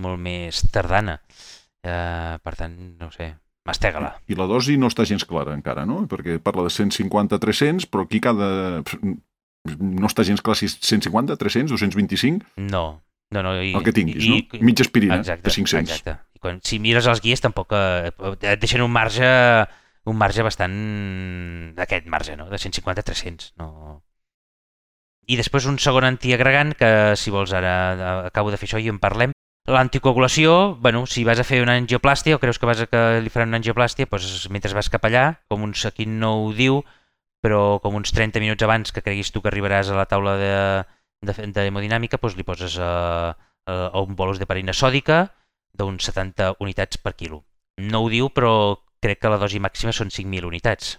tardana. Per tant, no sé, mastega-la. I la dosi no està gens clara encara, no? Perquè parla de 150-300, però aquí no està gens clar si és 150, 300, 225? No. El que tinguis, no? Mitja aspirina, de 500. Exacte. Si mires els guies tampoc et deixen un marge bastant d'aquest marge, no? De 150 a 300. No? I després un segon antiagregant, que si vols ara acabo de fer això i en parlem. L'anticoagulació, bueno, si vas a fer una angioplàstia o creus que li faran una angioplàstia, doncs mentre vas cap allà, aquí no ho diu, però com uns 30 minuts abans que creguis tu que arribaràs a la taula d'hemodinàmica, doncs li poses un bolus d'heparina sòdica d'uns 70 unitats per quilo. No ho diu, però crec que la dosi màxima són 5.000 unitats.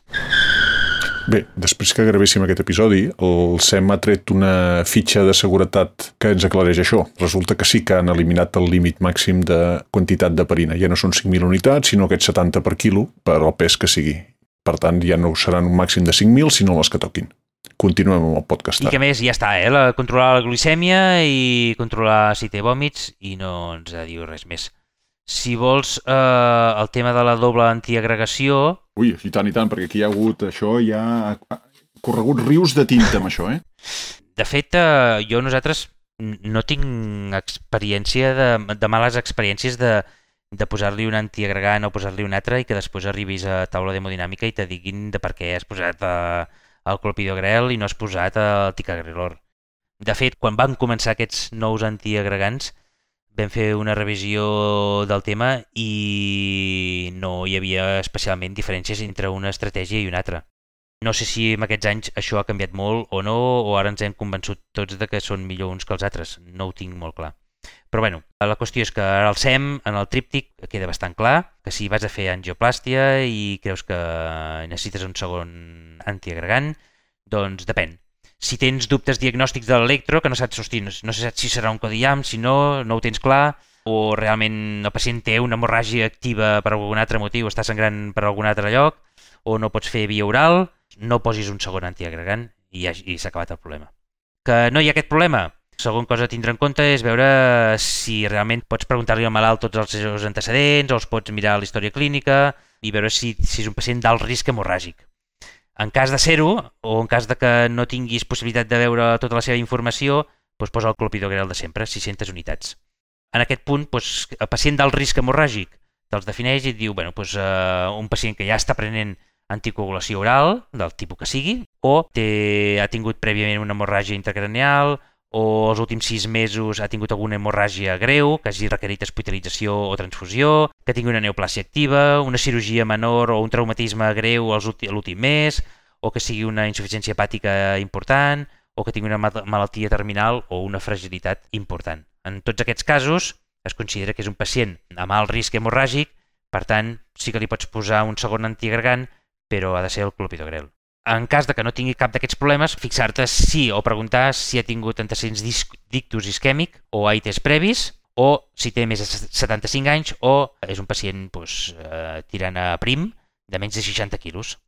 Bé, després que gravéssim aquest episodi, el SEM ha tret una fitxa de seguretat que ens aclareix això. Resulta que sí que han eliminat el límit màxim de quantitat d'heparina. Ja no són 5.000 unitats, sinó aquests 70 per quilo per al pes que sigui. Per tant, ja no seran un màxim de 5.000, sinó les que toquin. Continuem amb el podcast. I que més ja està, controlar la glicèmia i controlar si té vòmits i no ens diu res més. Si vols el tema de la doble antiagregació... Ui, i tant, perquè aquí hi ha hagut això, hi ha corregut rius de tinta amb això, De fet, nosaltres no tinc experiència de males experiències de posar-li un antiagregant o posar-li un altre i que després arribis a taula d'hemodinàmica i te diguin de per què has posat el clopidogrel i no has posat el ticagrelor. De fet, quan van començar aquests nous antiagregants, vam fer una revisió del tema i no hi havia especialment diferències entre una estratègia i una altra. No sé si en aquests anys això ha canviat molt o no, o ara ens hem convençut tots de que són millor uns que els altres. No ho tinc molt clar. Però bueno, la qüestió és que ara el SEM, en el tríptic, queda bastant clar que si vas a fer angioplàstia i creus que necessites un segon antiagregant, doncs depèn. Si tens dubtes diagnòstics de l'electro, que no saps, no saps si serà un codi IAM, si no ho tens clar, o realment el pacient té una hemorràgia activa per algun altre motiu, està sangrant per algun altre lloc, o no pots fer via oral, no posis un segon antiagregant i s'ha acabat el problema. Que no hi ha aquest problema? Segon cosa a tindre en compte és veure si realment pots preguntar-li al malalt tots els seus antecedents, o els pots mirar la història clínica i veure si és un pacient d'alt risc hemorràgic. En cas de ser-ho, o en cas de que no tinguis possibilitat de veure tota la seva informació, doncs posa el clopidogrel de sempre, 600 unitats. En aquest punt, el pacient d'alt risc hemorràgic te'ls defineix i et diu un pacient que ja està prenent anticoagulació oral, del tipus que sigui, o ha tingut prèviament una hemorràgia intracranial, o els últims 6 mesos ha tingut alguna hemorràgia greu, que hagi requerit hospitalització o transfusió, que tingui una neoplàsia activa, una cirurgia menor o un traumatisme greu l'últim mes, o que sigui una insuficiència hepàtica important, o que tingui una malaltia terminal o una fragilitat important. En tots aquests casos es considera que és un pacient amb alt risc hemorràgic, per tant sí que li pots posar un segon antiagregant, però ha de ser el clopidogrel. En cas de que no tingui cap d'aquests problemes, fixar-te o preguntar si ha tingut antecedents d'ictus isquèmic o AITs previs, o si té més de 75 anys o és un pacient tirant a prim de menys de 60 quilos.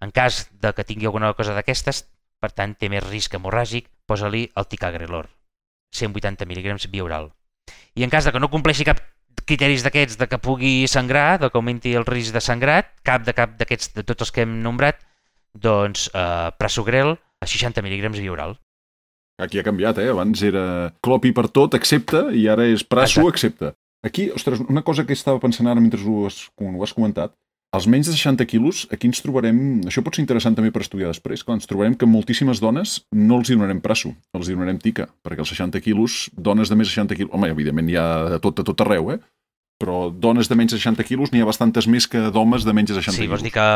En cas de que tingui alguna cosa d'aquestes, per tant té més risc hemorràgic, posa-li el ticagrelor, 180 mg via oral. I en cas de que no compleixi cap criteris d'aquests de que pugui sangrar, de que augmenti el risc de sangrat, cap d'aquests de tots els que hem nombrat, doncs prasugrel a 60 mg via oral. Aquí ha canviat, Abans era clopi per tot, accepta, i ara és praso, accepta. Aquí, ostres, una cosa que estava pensant ara mentre ho has comentat, als menys de 60 quilos, aquí ens trobarem, això pot ser interessant també per estudiar després, clar, ens trobarem que moltíssimes dones no els hi donarem praso, els hi donarem tica, perquè als 60 quilos, dones de més de 60 quilos, home, evidentment hi ha de tot arreu, però dones de menys de 60 quilos n'hi ha bastantes més que d'homes de menys de 60 quilos. Sí, vols dir que...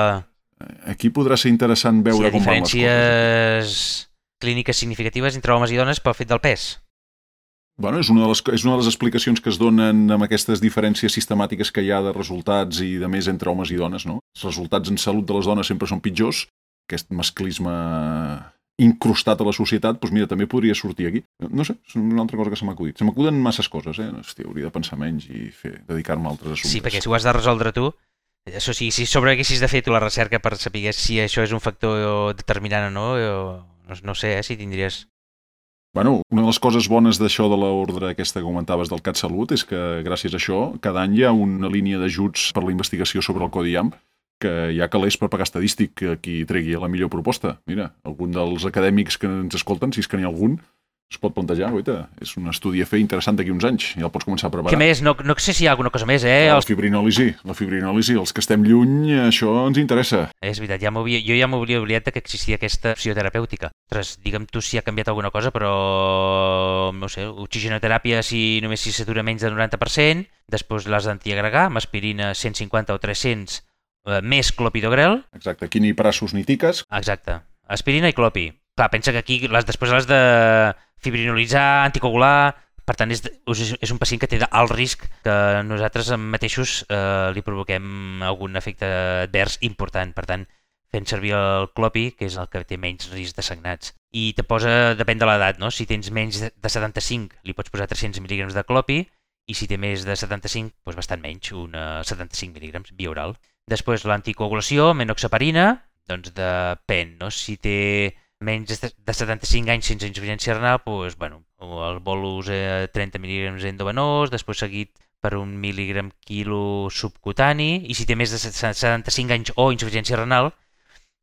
Aquí podrà ser interessant veure com van les coses. Si hi ha diferències clíniques significatives entre homes i dones pel fet del pes. Bueno, és una de les explicacions que es donen amb aquestes diferències sistemàtiques que hi ha de resultats i de més entre homes i dones, no? Els resultats en salut de les dones sempre són pitjors. Aquest masclisme incrustat a la societat, doncs mira, també podria sortir aquí. No sé, és una altra cosa que se m'ha acudit. Se m'acuden masses coses, Hòstia, hauria de pensar menys i dedicar-me a altres assumptes. Sí, perquè si ho has de resoldre tu, això sí, si sobre haguessis de fer tu la recerca per saber si això és un factor determinant o no sé si tindries... Bueno, una de les coses bones d'això de l'ordre aquesta que comentaves del CatSalut és que gràcies a això cada any hi ha una línia d'ajuts per la investigació sobre el codi IAM que hi ha calés per pagar estadístic qui tregui la millor proposta. Mira, algun dels acadèmics que ens escolten, si és que n'hi ha algun, es pot plantejar, guaita. És un estudi a fer interessant d'aquí uns anys. Ja el pots començar a preparar. Què més? No sé si hi ha alguna cosa més, La fibrinòlisi. Els que estem lluny, això ens interessa. És veritat, jo ja m'hauria oblidat que existia aquesta opció terapèutica. Ostres, digue'm tu si ha canviat alguna cosa, però no sé, oxigenoteràpia si només si s'atura menys del 90%, després les d'antiagregar, amb aspirina 150 o 300, més clopidogrel. Exacte, aquí ni braços ni tiques. Exacte, aspirina i clopi. Clar, pensa que aquí després les de fibrinolitzar, anticoagular. Per tant, és un pacient que té alt risc que nosaltres mateixos li provoquem algun efecte advers important. Per tant, fent servir el clopi, que és el que té menys risc de sagnats. I te posa, depèn de l'edat, no? Si tens menys de 75, li pots posar 300 mil·lígrams de clopi, i si té més de 75, doncs bastant menys, 75 mil·lígrams via oral. Després, l'anticoagulació, menoxaparina, doncs depèn, no? Si té menys de 75 anys sense insuficiència renal, doncs, bueno, el bolus 30 mil·lígrams endovenós, després seguit per 1 mil·lígram quilo subcutani, i si té més de 75 anys o insuficiència renal,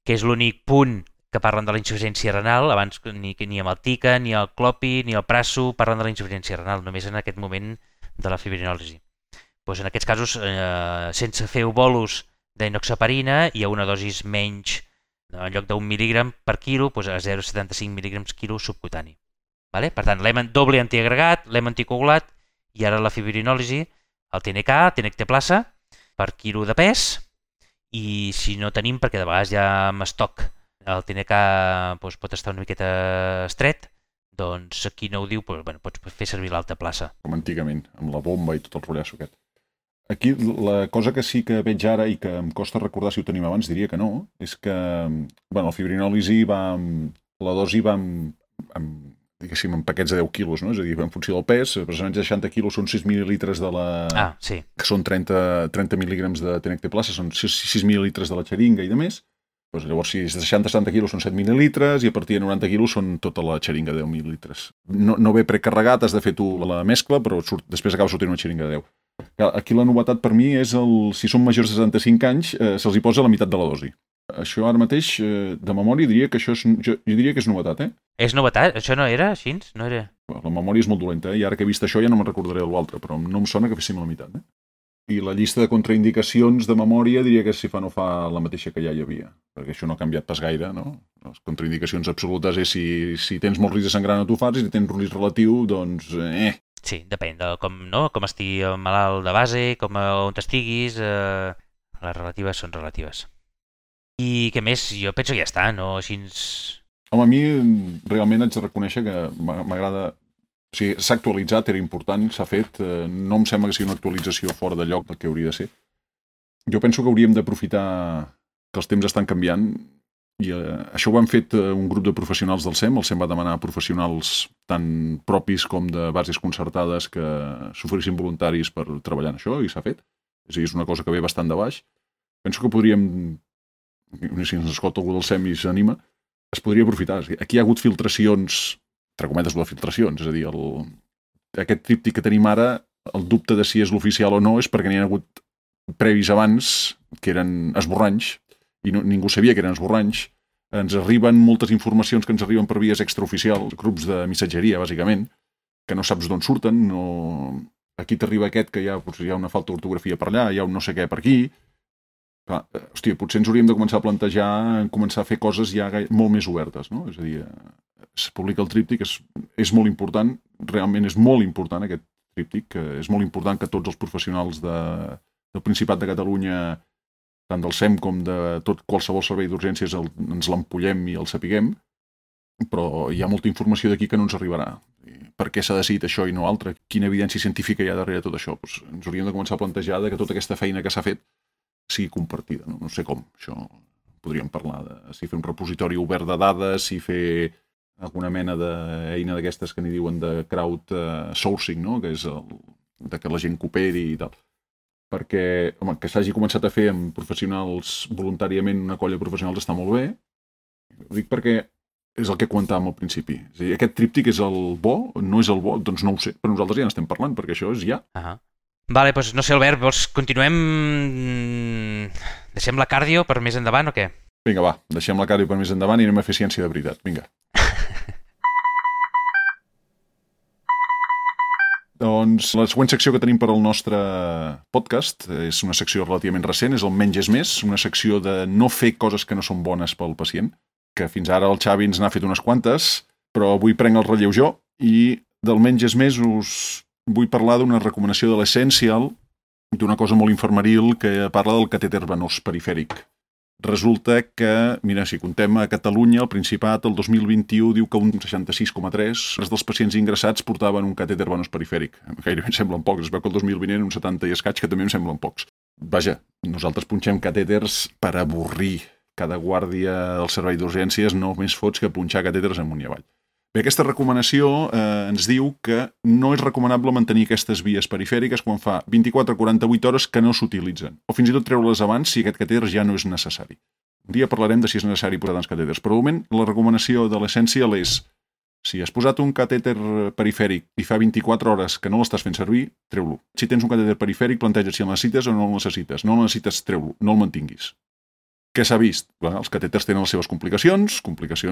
que és l'únic punt que parlen de la insuficiència renal, abans ni amb el TICA, ni el clopi, ni el praso parlen de la insuficiència renal, només en aquest moment de la fibrinòlisi. Doncs en aquests casos, sense fer bolus d'enoxaparina, hi ha una dosis menys, en lloc d'1 mil·lígram per quilo, doncs a 0,75 mil·lígrams quilo subcutani. Vale? Per tant, l'hem doble antiagregat, l'hem anticoagulat, i ara la fibrinòlisi, el TNK, tenecteplasa, per quilo de pes, i si no tenim, perquè de vegades ja amb estoc el TNK doncs, pot estar una miqueta estret, doncs aquí no ho diu, doncs, bueno, pots fer servir l'alta plaça. Com antigament, amb la bomba i tot el rotllasso aquest. Aquí la cosa que sí que veig ara i que em costa recordar si ho tenim abans, diria que no, és que bueno, la fibrinòlisi la dosi va diguéssim, en paquets de 10 quilos, no? És a dir, en funció del pes, precisament 60 quilos són 6 mil·lilitres de la... sí. Que són 30 mil·lígrams de tenecteplasa, són 6 mil·lilitres de la xeringa i de més. Doncs llavors, si és de 60 quilos són 7 mil·lilitres i a partir de 90 quilos són tota la xeringa de 10 mil·lilitres. No ve precarregat, has de fer tu la mescla, però després acaba sortint una xeringa de 10. Aquí la novetat per mi és si són majors de 75 anys, se'ls hi posa la meitat de la dosi. Això ara mateix, de memòria, diria que això jo diria que és novetat, eh? És novetat? Això no era així? No era... La memòria és molt dolenta, i ara que he vist això ja no me'n recordaré de l'altre, però no em sona que féssim la meitat, I la llista de contraindicacions de memòria diria que si fa no fa la mateixa que ja hi havia, perquè això no ha canviat pas gaire, no? Les contraindicacions absolutes és si tens molt risc de sangrar no t'ho fas, i si tens risc relatiu, doncs... Sí, depèn de com estigui malalt de base, on estiguis, les relatives són relatives. I què més? Jo penso que ja està, no? Així... Home, a mi realment haig de reconèixer que m'agrada... O sigui, s'ha actualitzat, era important, s'ha fet. No em sembla que sigui una actualització fora de lloc del que hauria de ser. Jo penso que hauríem d'aprofitar que els temps estan canviant i això ho han fet un grup de professionals del SEM. El SEM va demanar a professionals tant propis com de bases concertades que s'oferissin voluntaris per treballar en això i s'ha fet. És a dir, és una cosa que ve bastant de baix. Penso que podríem... si ens escolta algú del SEM i s'anima, es podria aprofitar. Aquí hi ha hagut filtracions, entre cometes de filtracions, és a dir, aquest tríptic que tenim ara, el dubte de si és l'oficial o no és perquè n'hi ha hagut previs abans que eren esborranys i ningú sabia que eren esborranys. Ens arriben moltes informacions que ens arriben per vies extraoficials, grups de missatgeria, bàsicament, que no saps d'on surten. Aquí t'arriba aquest que hi ha una falta d'ortografia per allà, hi ha un no sé què per aquí. Clar, hòstia, potser ens hauríem de començar a plantejar, començar a fer coses ja molt més obertes, no? És a dir, es publica el tríptic, és molt important, realment és molt important aquest tríptic, és molt important que tots els professionals del Principat de Catalunya, tant del SEM com de tot qualsevol servei d'urgències, ens l'empollem i el sapiguem, però hi ha molta informació d'aquí que no ens arribarà. Per què s'ha decidit això i no altre? Quina evidència científica hi ha darrere tot això? Doncs ens hauríem de començar a plantejar que tota aquesta feina que s'ha fet sigui compartida, no sé com. Això podríem parlar de si fer un repositori obert de dades, si fer alguna mena d'eina d'aquestes que n'hi diuen de crowdsourcing, no? Que és de que la gent cooperi i tal. Perquè, home, que s'hagi començat a fer amb professionals voluntàriament, una colla de professionals està molt bé. Ho dic perquè és el que comentàvem al principi. És a dir, aquest tríptic és el bo? No és el bo? Doncs no ho sé, però nosaltres ja n'estem parlant, perquè això és ja. Vale, doncs no sé, Albert, vols continuem... Deixem la cardio per més endavant o què? Vinga, va, deixem la cardio per més endavant i anem a fer ciència de veritat. Vinga. Doncs la següent secció que tenim per al nostre podcast és una secció relativament recent, és el Menys és més, una secció de no fer coses que no són bones pel pacient, que fins ara el Xavi ens n'ha fet unes quantes, però avui prenc el relleu jo i del Menys és més us vull parlar d'una recomanació de l'Essential, d'una cosa molt infermeril que parla del catèter venós perifèric. Resulta que, mira, si contem a Catalunya, el Principat, el 2021, diu que un 66,3% dels pacients ingressats portaven un catèter venós perifèric. Gairebé em semblen pocs, es veu que el 2020 eren uns 70 i escaig, que també em semblen pocs. Vaja, nosaltres punxem catèters per avorrir. Cada guàrdia del servei d'urgències no més fots que punxar catèters amunt i avall. Bé, aquesta recomanació ens diu que no és recomanable mantenir aquestes vies perifèriques quan fa 24 a 48 hores que no s'utilitzen, o fins i tot treure-les abans si aquest catèter ja no és necessari. Un dia parlarem de si és necessari posar tants catèters, però de moment la recomanació de l'Essential és si has posat un catèter perifèric i fa 24 hores que no l'estàs fent servir, treu-lo. Si tens un catèter perifèric, planteja si el necessites o no el necessites. No el necessites, treu-lo, no el mantinguis. Què s'ha vist? Bueno, els catèters tenen les seves complicacions,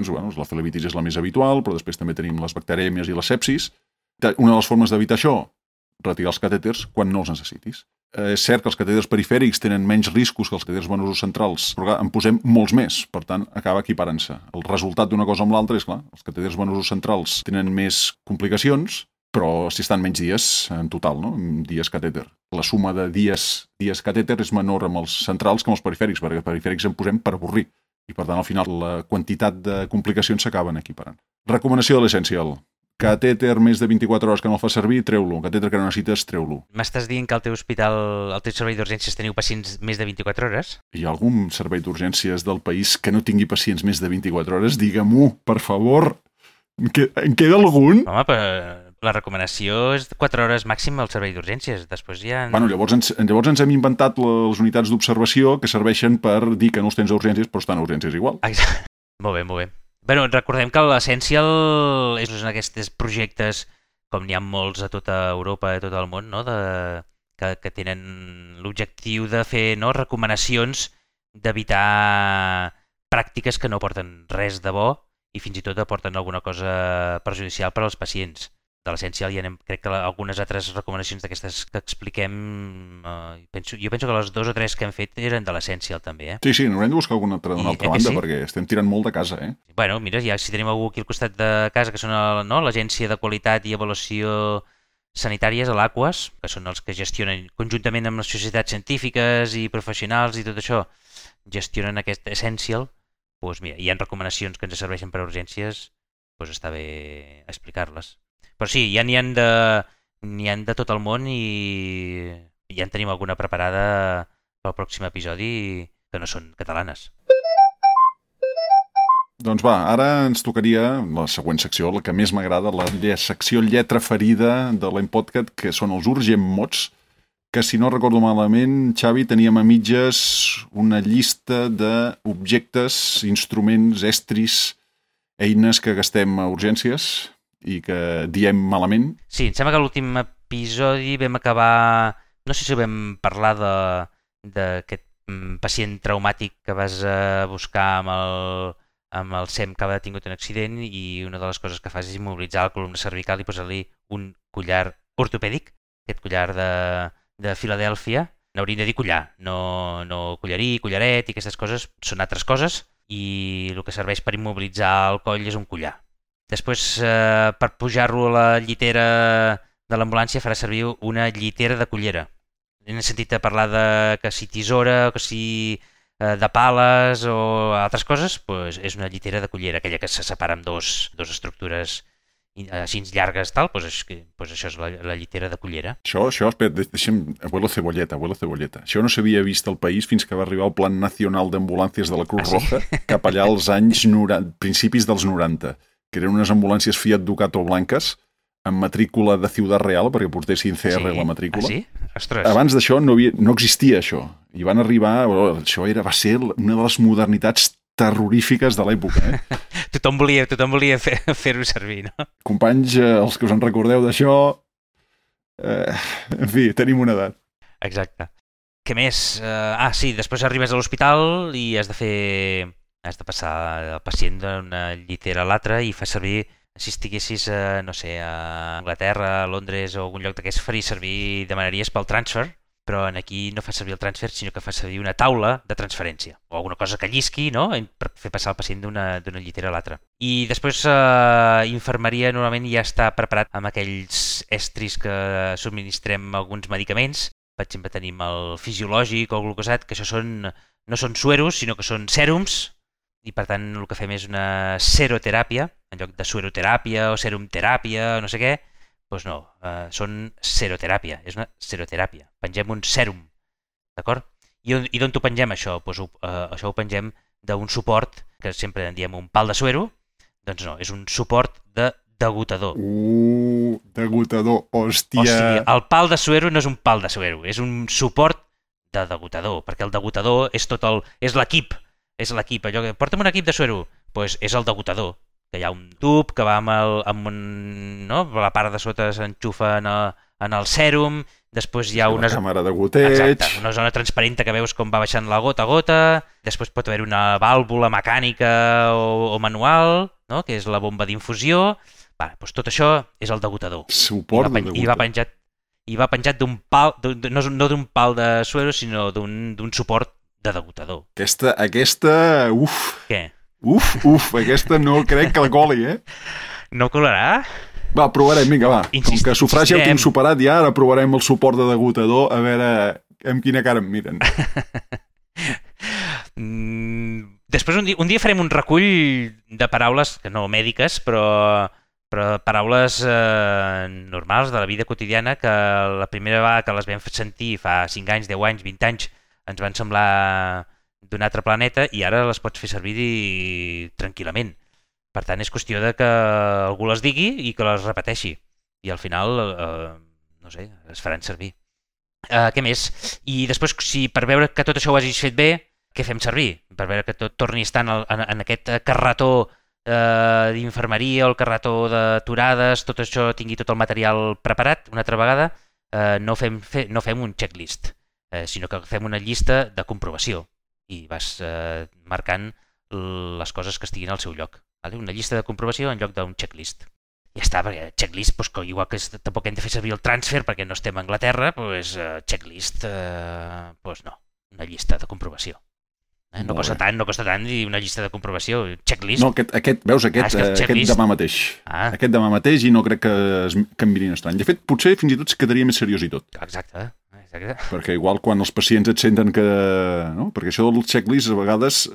bueno, la flebitis és la més habitual, però després també tenim les bacterèmies i la sepsis. Una de les formes d'evitar això, retirar els catèters quan no els necessitis. És cert que els catèters perifèrics tenen menys riscos que els catèters venosos centrals, però en posem molts més, per tant, acaba equiparant-se. El resultat d'una cosa amb l'altra és, clar, els catèters venosos centrals tenen més complicacions, però si estan menys dies en total, no? Dies catèter. La suma de dies catèter és menor amb els centrals que amb els perifèrics, perquè els perifèrics en posem per avorrir. I per tant, al final, la quantitat de complicacions s'acaben equiparant. Recomanació de l'Essential. Catèter més de 24 hores que no el fa servir, treu-lo. Catèter que no necessites, treu-lo. M'estàs dient que al teu hospital, al teu servei d'urgències, teniu pacients més de 24 hores? Hi ha algun servei d'urgències del país que no tingui pacients més de 24 hores? Digue-m'ho, per favor. En queda algun? Home, però la recomanació és 4 hores màxim al servei d'urgències. Després ja... Bueno, llavors ens hem inventat les unitats d'observació que serveixen per dir que no els tens a urgències, però estan a urgències igual. Exacte. Molt bé, molt bé. Bueno, recordem que l'Essential és un d'aquests projectes, com n'hi ha molts a tota Europa i a tot el món, no? que tenen l'objectiu de fer recomanacions d'evitar pràctiques que no porten res de bo i fins i tot aporten alguna cosa perjudicial per als pacients. De l'Essential hi anem, crec que algunes altres recomanacions d'aquestes que expliquem, jo penso que les 2 o 3 que hem fet eren de l'Essential també, Sí, n'haurem de buscar alguna altra d'una altra banda, perquè estem tirant molt de casa, Bueno, mira, ja si tenim algú aquí al costat de casa, que són l'Agència de Qualitat i Avaluació Sanitàries, a l'Aquas, que són els que gestionen, conjuntament amb les societats científiques i professionals i tot això, gestionen aquest Essential, doncs mira, hi ha recomanacions que ens serveixen per a urgències, doncs està bé explicar-les. Però sí, ja n'hi ha de tot el món i ja en tenim alguna preparada pel pròxim episodi que no són catalanes. Doncs va, ara ens tocaria la següent secció, la que més m'agrada, la secció lletra ferida de l'Empodcast, que són els Urgent Mots, que si no recordo malament, Xavi, teníem a mitges una llista d'objectes, instruments, estris, eines que gastem a urgències i que diem malament. Sí, em sembla que a l'últim episodi vam acabar... No sé si vam parlar d'aquest pacient traumàtic que vas buscar amb el SEM que havia tingut un accident i una de les coses que fas és immobilitzar la columna cervical i posar-li un collar ortopèdic, aquest collar de Filadèlfia. N'hauríem de dir collar, no collarí, collaret i aquestes coses són altres coses i el que serveix per immobilitzar el coll és un collar. Després, per pujar-lo a la llitera de l'ambulància, farà servir una llitera de cullera. Hem sentit a parlar de que si tisora, que si de pales o altres coses, doncs és una llitera de cullera, aquella que se separa amb dos estructures així llargues, tal, doncs això és la llitera de cullera. Això, espera, deixa'm... Abuelo Cebolleta. Això no s'havia vist al país fins que va arribar el Plan Nacional d'Ambulàncies de la Cruz Roja, cap allà als anys principis dels 90. Que eren unes ambulàncies Fiat Ducato blanques amb matrícula de Ciudad Real, perquè portessin CR la matrícula. Sí? Ostres. Abans d'això no existia això. I van arribar... Això va ser una de les modernitats terrorífiques de l'època. Tothom volia fer-ho servir, no? Companys, els que us en recordeu d'això... En fi, tenim una edat. Exacte. Què més? Sí, després arribes a l'hospital i has de passar el pacient d'una llitera a l'altra i fa servir si estiguessis, no sé, a Anglaterra, a Londres o algun lloc d'aquests faries servir, demanaries pel transfer, però aquí no fa servir el transfer, sinó que fa servir una taula de transferència, o alguna cosa que llisqui, no?, per fer passar el pacient d'una llitera a l'altra. I després infermeria normalment ja està preparat amb aquells estris que subministrem alguns medicaments. Per exemple, tenim el fisiològic o el glucosat, que això no són sueros, sinó que són sèrums, i per tant el que fem és una seroteràpia, en lloc de sueroteràpia o serumteràpia o no sé què, doncs no, són seroteràpia, és una seroteràpia. Pengem un sèrum, d'acord? I d'on ho pengem, això? Doncs això ho pengem d'un suport, que sempre en diem un pal de suero, doncs no, és un suport de degutador. Degutador, hòstia. O sigui, el pal de suero no és un pal de suero, és un suport de degutador, perquè el degutador és l'equip, allò que porta'm un equip de suero, doncs és el degutador, que hi ha un tub que va no? La part de sota s'enxufa en el sèrum, després hi ha una càmera de goteig. Exacte, una zona transparent que veus com va baixant la gota a gota, després pot haver una vàlvula mecànica o manual, no? Que és la bomba d'infusió. Doncs tot això és el degutador. Suport de degutador. I va penjat d'un pal, no d'un pal de suero, sinó d'un suport de degutador. Aquesta, Què? Aquesta no crec que la coli, No colarà? Va, provarem, vinga, va. Com que sufragi el tinc superat ja, ara provarem el suport de degutador, a veure amb quina cara em miren. Després un dia farem un recull de paraules, que no mèdiques, però paraules normals de la vida quotidiana, que la primera vegada que les vam sentir fa 5 anys, 10 anys, 20 anys, ens van semblar d'un altre planeta i ara les pots fer servir tranquil·lament. Per tant, és qüestió de que algú les digui i que les repeteixi. I al final, no sé, es faran servir. Què més? I després, si per veure que tot això ho hagis fet bé, què fem servir? Per veure que tot torni a estar en aquest carretó d'infermeria o el carretó d'aturades, tot això tingui tot el material preparat una altra vegada, no fem un checklist, sinó que fem una llista de comprovació i vas marcant les coses que estiguin al seu lloc. Una llista de comprovació en lloc d'un checklist. Ja està, perquè checklist, igual que tampoc hem de fer servir el transfer perquè no estem a Anglaterra, checklist, no, una llista de comprovació. No costa tant dir una llista de comprovació, checklist. No, aquest demà mateix. Aquest demà mateix i no crec que em mirin estrany. De fet, potser fins i tot es quedaria més seriós i tot. Exacte. Perquè igual quan els pacients et senten que... No? Perquè això del checklist, a vegades,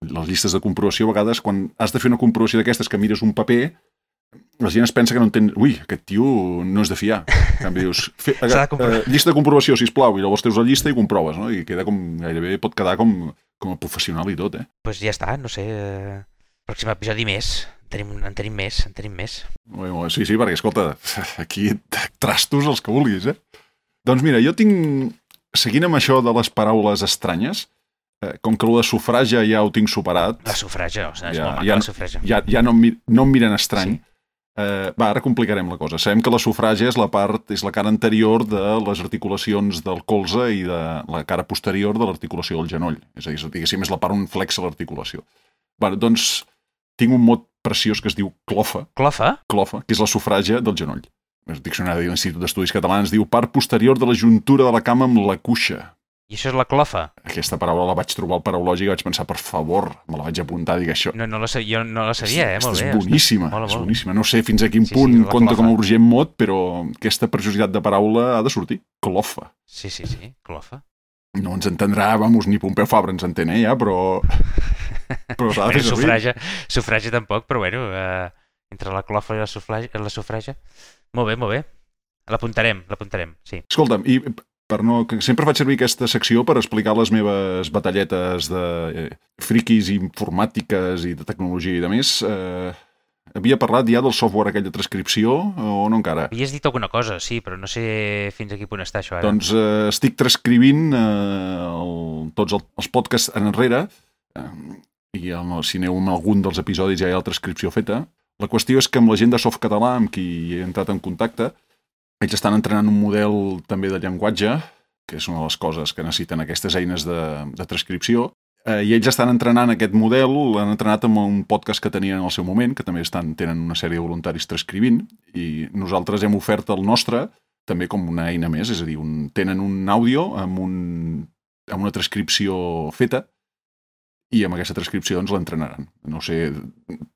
les llistes de comprovació, a vegades, quan has de fer una comprovació d'aquestes que mires un paper, la gent es pensa que no entén... Ui, aquest tio no és de fiar. En canvi, dius, llista de comprovació, sisplau, i llavors teus la llista i comproves, no? I gairebé pot quedar com a professional i tot, Doncs ja està, no sé... Pròxim episodi més. En tenim més. Sí, perquè, escolta, aquí trastos els que vulguis, Doncs mira, jo tinc... Seguint amb això de les paraules estranyes, com que el de sufragi ja ho tinc superat... La sufragi, és molt maca, la sufragi. Ja no em miren estrany. Sí. Ara complicarem la cosa. Sabem que la sufragi és la cara anterior de les articulacions del colze i de la cara posterior de l'articulació del genoll. És a dir, diguéssim, és la part on flexa l'articulació. Doncs tinc un mot preciós que es diu clofa. Clofa? Clofa, que és la sufràgia del genoll. El diccionari de l'Institut d'Estudis Catalans diu part posterior de la juntura de la cama amb la cuixa. I això és la clofa? Aquesta paraula la vaig trobar al paraulògic i vaig pensar, per favor, me la vaig apuntar, dic això. Jo no la sabia, molt bé. És boníssima, és boníssima. No sé fins a quin punt compta com a urgent mot, però aquesta preciositat de paraula ha de sortir. Clofa. Sí, clofa. No ens entendrà, ni Pompeu Fabra ens entén, ja, però s'ha de fer servir. Sufragi tampoc, però bueno, entre la clofa i la sufragi. Molt bé. L'apuntarem, sí. Escolta'm, i que sempre faig servir aquesta secció per explicar les meves batalletes de friquis informàtiques i de tecnologia i de més. Havia parlat ja del software aquell de transcripció o no encara? Havies dit alguna cosa, sí, però no sé fins a quin punt està això ara. Doncs estic transcrivint tots els podcasts enrere i si aneu amb algun dels episodis ja hi ha la transcripció feta. La qüestió és que amb la gent de Softcatalà, amb qui he entrat en contacte, ells estan entrenant un model també de llenguatge, que és una de les coses que necessiten aquestes eines de transcripció. I ells estan entrenant aquest model, l'han entrenat amb un podcast que tenien en el seu moment, que també tenen una sèrie de voluntaris transcrivint, i nosaltres hem ofert el nostre també com una eina més, és a dir, tenen un àudio amb una transcripció feta, i amb aquesta transcripció doncs l'entrenaran. No sé,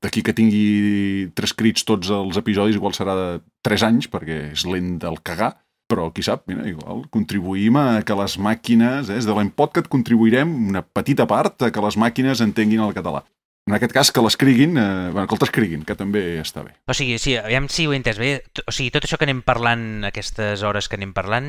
d'aquí que tingui transcrits tots els episodis igual serà de 3 anys, perquè és lent del cagar, però qui sap, mira, igual contribuïm a que les màquines, des de l'Empodcast contribuirem una petita part a que les màquines entenguin el català. En aquest cas, que l'escriguin, que el transcriguin, que també està bé. O sigui, sí, aviam si ho he entès bé. O sigui, tot això que anem parlant, aquestes hores que anem parlant,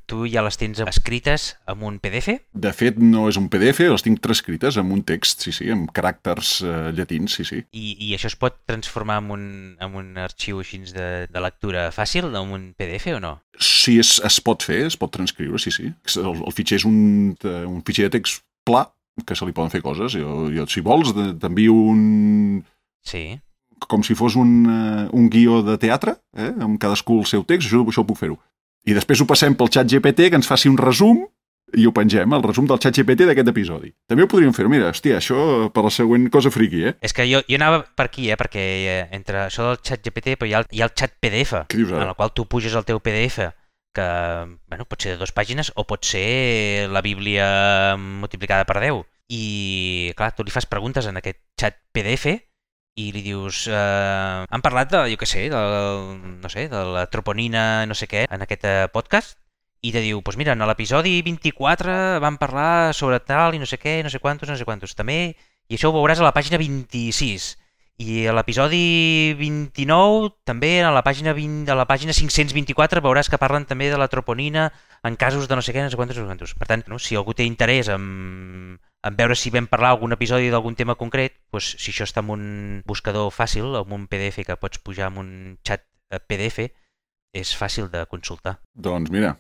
tu ja les tens escrites en un PDF? De fet, no és un PDF, les tinc transcrites en un text, sí, amb caràcters llatins, sí. I això es pot transformar en un arxiu així de lectura fàcil, en un PDF o no? Sí, es pot fer, es pot transcriure, sí. El fitxer és un fitxer de text pla, que se li poden fer coses. Jo si vols, t'envio un... Sí. Com si fos un guió de teatre, amb cadascú el seu text, això ho puc fer-ho. I després ho passem pel xat GPT, que ens faci un resum, i ho pengem, el resum del xat GPT d'aquest episodi. També ho podríem fer, mira, hòstia, això per la següent cosa friqui, És que jo anava per aquí, perquè entre això del xat GPT, però hi ha el xat PDF, en el qual tu puges el teu PDF, que pot ser de 2 pàgines o pot ser la Bíblia multiplicada per 10. I, clar, tu li fas preguntes en aquest xat PDF i li dius... han parlat de, jo què sé, de la troponina, no sé què, en aquest podcast, i te diu, doncs mira, en l'episodi 24 vam parlar sobre tal i no sé què, no sé quantos. També, i això ho veuràs a la pàgina 26. I a l'episodi 29, també a la pàgina 524, veuràs que parlen també de la troponina en casos de no sé què, no sé quantos. Per tant, si algú té interès en veure si vam parlar algun episodi d'algun tema concret, doncs, si això està en un buscador fàcil, en un PDF que pots pujar en un xat PDF, és fàcil de consultar. Doncs mira,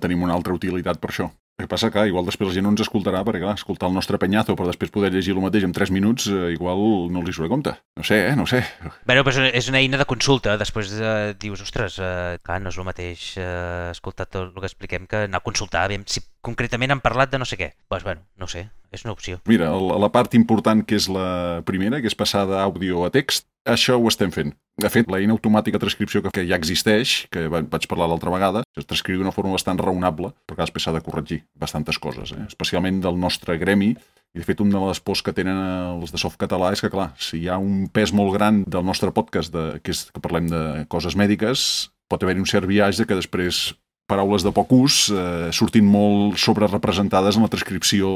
tenim una altra utilitat per això. El que passa que igual després la gent no ens escoltarà, perquè clar, escoltar el nostre penyazo per després poder llegir el mateix en 3 minuts, igual no els hi surt a compte. No sé. Però és una eina de consulta. Després dius, ostres, clar, no és el mateix escoltar tot el que expliquem que anar a consultar, si concretament han parlat de no sé què. Doncs no sé, és una opció. Mira, la part important que és la primera, que és passar d'àudio a text, això ho estem fent. De fet, l'eina automàtica de transcripció que ja existeix, que vaig parlar l'altra vegada, es transcriu d'una forma bastant raonable, perquè després s'ha de corregir bastantes coses, especialment del nostre gremi. I de fet, una de les pors que tenen els de Softcatalà és que, clar, si hi ha un pes molt gran del nostre podcast, que parlem de coses mèdiques, pot haver-hi un cert viatge que després paraules de poc ús surtin molt sobrerepresentades en la transcripció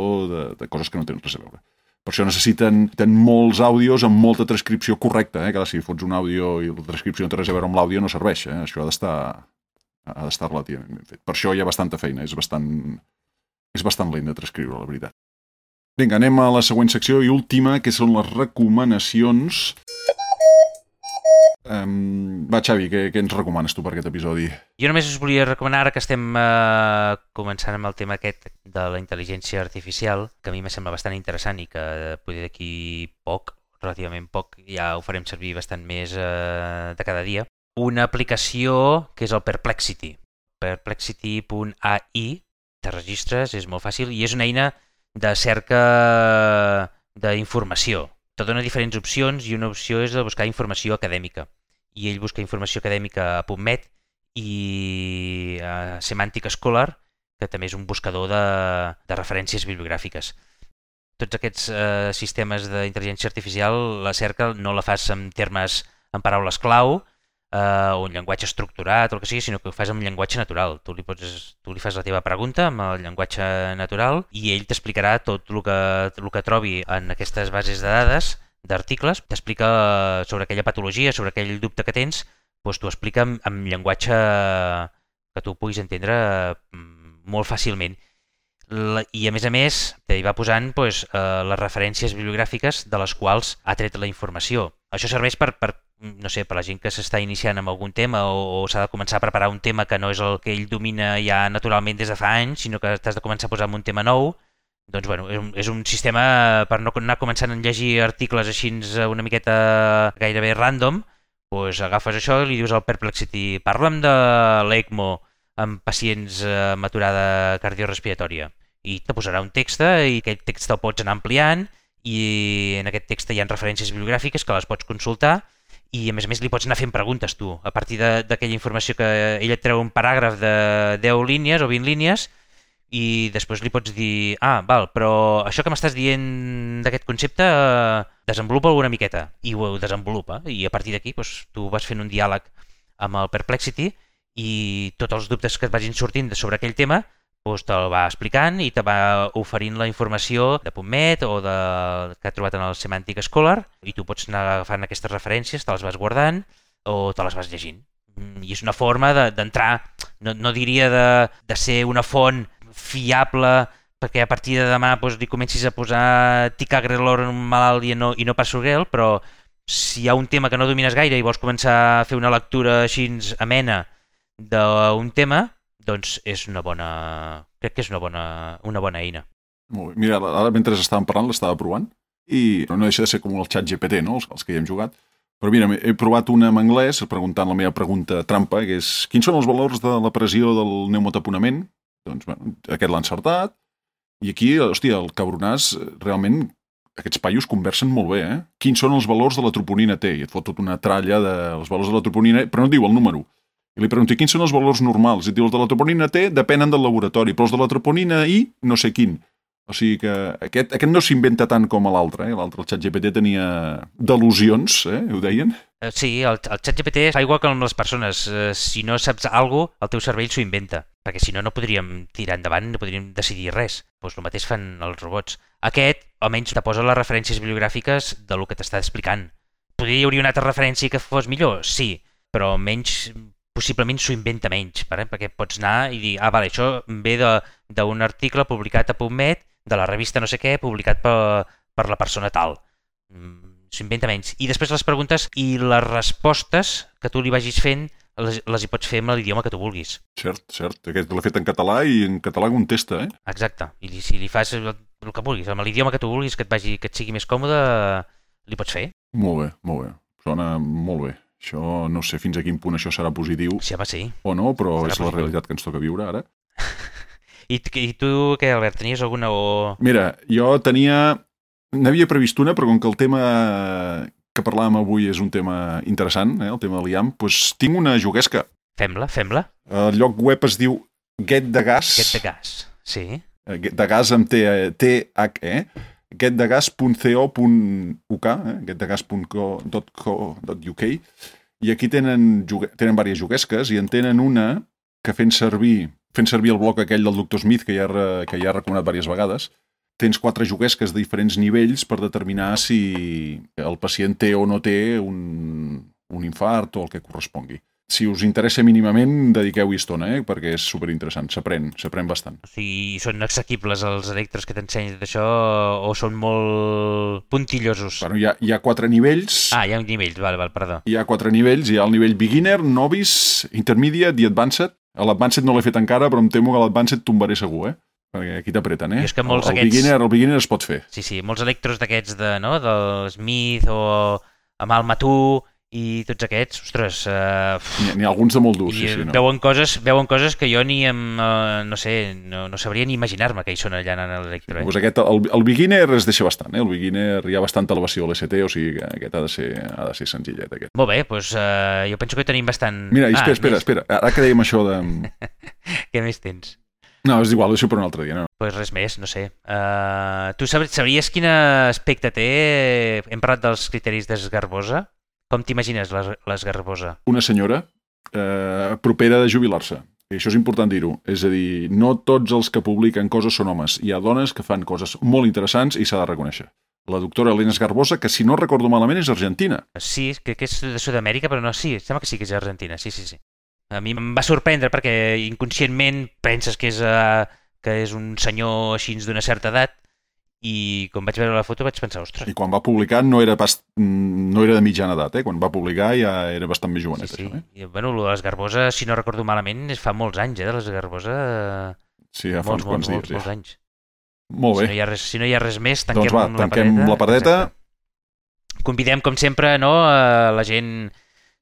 de coses que no tenen res a veure. Per això necessiten molts àudios amb molta transcripció correcta, que si fots un àudio i la transcripció no té res a veure amb l'àudio no serveix, això ha d'estar relativament ben fet. Per això hi ha bastanta feina, és bastant lent de transcriure, la veritat. Vinga, anem a la següent secció i última, que són les recomanacions. Va, Xavi, què ens recomanes tu per aquest episodi? Jo només us volia recomanar, ara que estem començant amb el tema aquest de la intel·ligència artificial, que a mi me sembla bastant interessant i que potser d'aquí relativament poc, ja ho farem servir bastant més de cada dia, una aplicació que és el Perplexity. Perplexity.ai, te registres, és molt fàcil i és una eina de cerca d'informació. Te dona diferents opcions i una opció és de buscar informació acadèmica. I ell busca informació acadèmica a PubMed i a Semantic Scholar, que també és un buscador de referències bibliogràfiques. Tots aquests sistemes d'intel·ligència artificial, la cerca no la fas en paraules clau o en llenguatge estructurat o el que sigui, sinó que ho fas en llenguatge natural. Tu li fas la teva pregunta amb el llenguatge natural i ell t'explicarà tot el que trobi en aquestes bases de dades, d'articles, t'explica sobre aquella patologia, sobre aquell dubte que tens, doncs t'ho explica en llenguatge que tu puguis entendre molt fàcilment. I a més, t'hi va posant les referències bibliogràfiques de les quals ha tret la informació. Això serveix per la gent que s'està iniciant amb algun tema o s'ha de començar a preparar un tema que no és el que ell domina ja naturalment des de fa anys, sinó que t'has de començar a posar en un tema nou. Doncs és un sistema per no anar començant a llegir articles així una miqueta gairebé random, doncs agafes això i li dius al Perplexity, parla'm de l'ECMO amb pacients amb aturada cardiorrespiratòria. i te posarà un text i aquest text el pots anar ampliant i en aquest text hi ha referències bibliogràfiques que les pots consultar i a més li pots anar fent preguntes tu a partir d'aquella informació que ella et treu un paràgraf de 10 línies o 20 línies i després li pots dir val, però això que m'estàs dient d'aquest concepte desenvolupa una miqueta i ho desenvolupa i a partir d'aquí doncs, tu vas fent un diàleg amb el Perplexity i tots els dubtes que et vagin sortint sobre aquell tema doncs te'l va explicant i te va oferint la informació de PubMed o que ha trobat en el Semantic Scholar i tu pots anar agafant aquestes referències, te les vas guardant o te les vas llegint. I és una forma d'entrar, no diria de ser una font fiable perquè a partir de demà doncs, li comencis a posar ticagrelor en un malalt i no pas sorguel, però si hi ha un tema que no domines gaire i vols començar a fer una lectura així amena d'un tema, doncs crec que és una bona eina. Molt bé. Mira, ara mentre estàvem parlant l'estava provant i no deixa de ser com el xat GPT, no? Els que hi hem jugat. Però mira, he provat una en anglès preguntant la meva pregunta trampa, que és quins són els valors de la pressió del pneumataponament? Doncs, bueno, aquest l'ha encertat. I aquí, hòstia, el cabronàs, realment, aquests paios conversen molt bé, Quins són els valors de la troponina T? I et fot tota una tralla dels valors de la troponina, però no et diu el número. I li pregunto, quins són els valors normals? I diu, els de la troponina T depenen del laboratori, però els de la troponina I no sé quin. O sigui que aquest no s'inventa tant com l'altre, L'altre, el ChatGPT, tenia delusions, ho deien? Sí, el ChatGPT fa igual que amb les persones. Si no saps alguna cosa, el teu cervell s'ho inventa, perquè si no, no podríem tirar endavant, no podríem decidir res. Doncs el mateix fan els robots. Aquest, almenys, te posa les referències bibliogràfiques de lo que t'està explicant. Podria hi hauria una altra referència que fos millor? Sí, però almenys possiblement s'ho inventa menys, perquè pots anar i dir, vale, això ve d'un article publicat a PubMed, de la revista no sé què, publicat per la persona tal. S'ho inventa menys. I després les preguntes i les respostes que tu li vagis fent les hi pots fer amb l'idioma que tu vulguis. Cert. Aquest l'he fet en català i en català contesta, Exacte. I si li fas el que vulguis, amb l'idioma que tu vulguis, que et sigui més còmode, li pots fer. Molt bé. Sona molt bé. Això no sé fins a quin punt això serà positiu sí. O no, però serà és positiu. La realitat que ens toca viure ara. I tu què, Albert, tenies alguna o...? Mira, jo n'havia previst una, però com que el tema que parlàvem avui és un tema interessant, el tema de l'IAM, doncs tinc una juguesca. Fem-la. El lloc web es diu Get the Gas. Get the Gas, sí. Get the Gas amb T-H-E. getthegas.co.uk, getthegas.co.uk, i aquí tenen diverses juguesques i en tenen una que fent servir el bloc aquell del Dr. Smith que ja ha recomanat diverses vegades, tens 4 juguesques de diferents nivells per determinar si el pacient té o no té un infart o el que correspongui. Si us interessa mínimament, dediqueu-hi estona, perquè és superinteressant, s'aprèn bastant. O sigui, són assequibles els electros que t'ensenyen d'això o són molt puntillosos? Bueno, hi ha 4 nivells. Hi ha un nivell, val, perdó. Hi ha 4 nivells, hi ha el nivell Beginner, Novice, Intermediate i Advanced. A l'Advanced no l'he fet encara, però em temo que a l'Advanced tombaré segur, perquè aquí t'apreten, I és que molts el beginner es pot fer. Sí, molts electros d'aquests del Smith o amb el Matú i tots aquests, ostres... N'hi ha alguns de molt durs, sí. Veuen coses que jo no sabria ni imaginar-me que hi són allà en l'electro. Doncs aquest, el beginner es deixa bastant, El beginner hi ha bastanta elevació a l'ST, o sigui que aquest ha de ser senzillet, aquest. Molt bé, doncs jo penso que tenim bastant... Mira, espera, ara que dèiem això de... Què més tens? No, és igual, ho deixo per un altre dia, no? Doncs res més, no sé. Tu sabries quin aspecte té? Hem parlat dels criteris d'Esgarbosa. Com t'imagines l'Esgarbosa? Una senyora propera de jubilar-se. I això és important dir-ho. És a dir, no tots els que publiquen coses són homes. Hi ha dones que fan coses molt interessants i s'ha de reconèixer. La doctora Elena Esgarbosa, que si no recordo malament és argentina. Sí, que és de Sud-amèrica, però no, sí, sembla que sí que és argentina, sí. A mi em va sorprendre perquè inconscientment penses que és un senyor així d'una certa edat i quan vaig veure la foto vaig pensar, ostres... I quan va publicar no era de mitjana edat, Quan va publicar ja era bastant més jovenet, sí. Això, I, bueno, l'Esgarbosa, si no recordo malament, fa molts anys, de l'Esgarbosa... Sí, ja fa uns quants dies. Molts anys. Molt bé. Si no hi ha res més, tanquem, doncs tanquem la pardeta. Convidem, com sempre, la gent...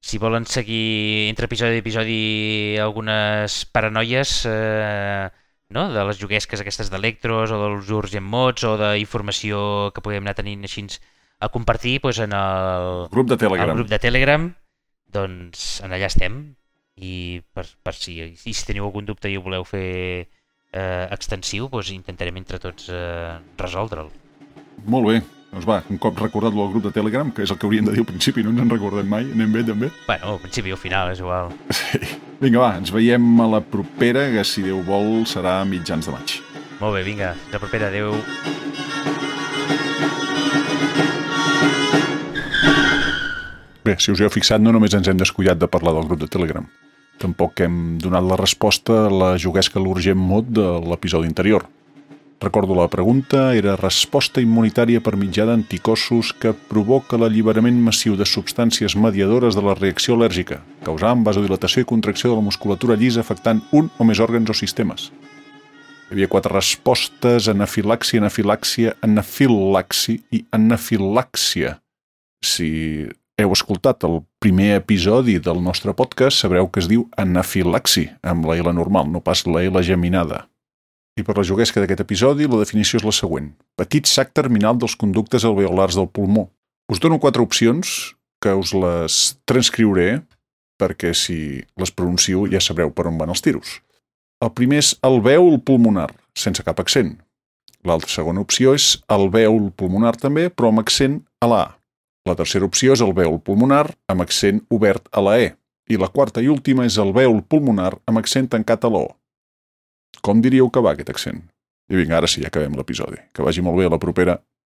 Si volen seguir entre episodi i episodi algunes paranoies, no? De les juguesques aquestes d'electros o dels urgent mods o d'informació que podem anar tenint així a compartir doncs, en el Grup de Telegram. al grup de Telegram, doncs en allà estem i per si teniu algun dubte i ho voleu fer extensiu, doncs intentarem entre tots resoldre'l. Molt bé. Doncs va, un cop recordat-lo al grup de Telegram, que és el que hauríem de dir al principi, no ens en recordem mai, anem bé també. Bueno, al principi o al final, és igual. Sí. Vinga, va, ens veiem a la propera, que si Déu vol serà a mitjans de maig. Molt bé, vinga, fins la propera, adeu. Bé, si us heu fixat, no només ens hem descuidat de parlar del grup de Telegram. Tampoc hem donat la resposta a la juguesca l'urgent mod de l'episodi anterior. Recordo la pregunta, era resposta immunitària per mitjà d'anticossos que provoca l'alliberament massiu de substàncies mediadores de la reacció al·lèrgica, causant vasodilatació i contracció de la musculatura llisa afectant un o més òrgans o sistemes. Hi havia 4 respostes: anafilàxia, anafilàxia, anafilaxi i anafilàxia. Si heu escoltat el primer episodi del nostre podcast, sabreu que es diu anafilaxi, amb la L normal, no pas la L geminada. I per la juguesca d'aquest episodi, la definició és la següent. Petit sac terminal dels conductes alveolars del pulmó. Us dono 4 opcions, que us les transcriuré, perquè si les pronuncio ja sabreu per on van els tiros. El primer és alvèol pulmonar, sense cap accent. La segona opció és alvèol pulmonar també, però amb accent a la A. La tercera opció és alvèol pulmonar amb accent obert a la E. I la quarta i última és alvèol pulmonar amb accent tancat a la O. Com diríeu que va aquest accent? I vinga, ara sí, ja acabem l'episodi. Que vagi molt bé, a la propera.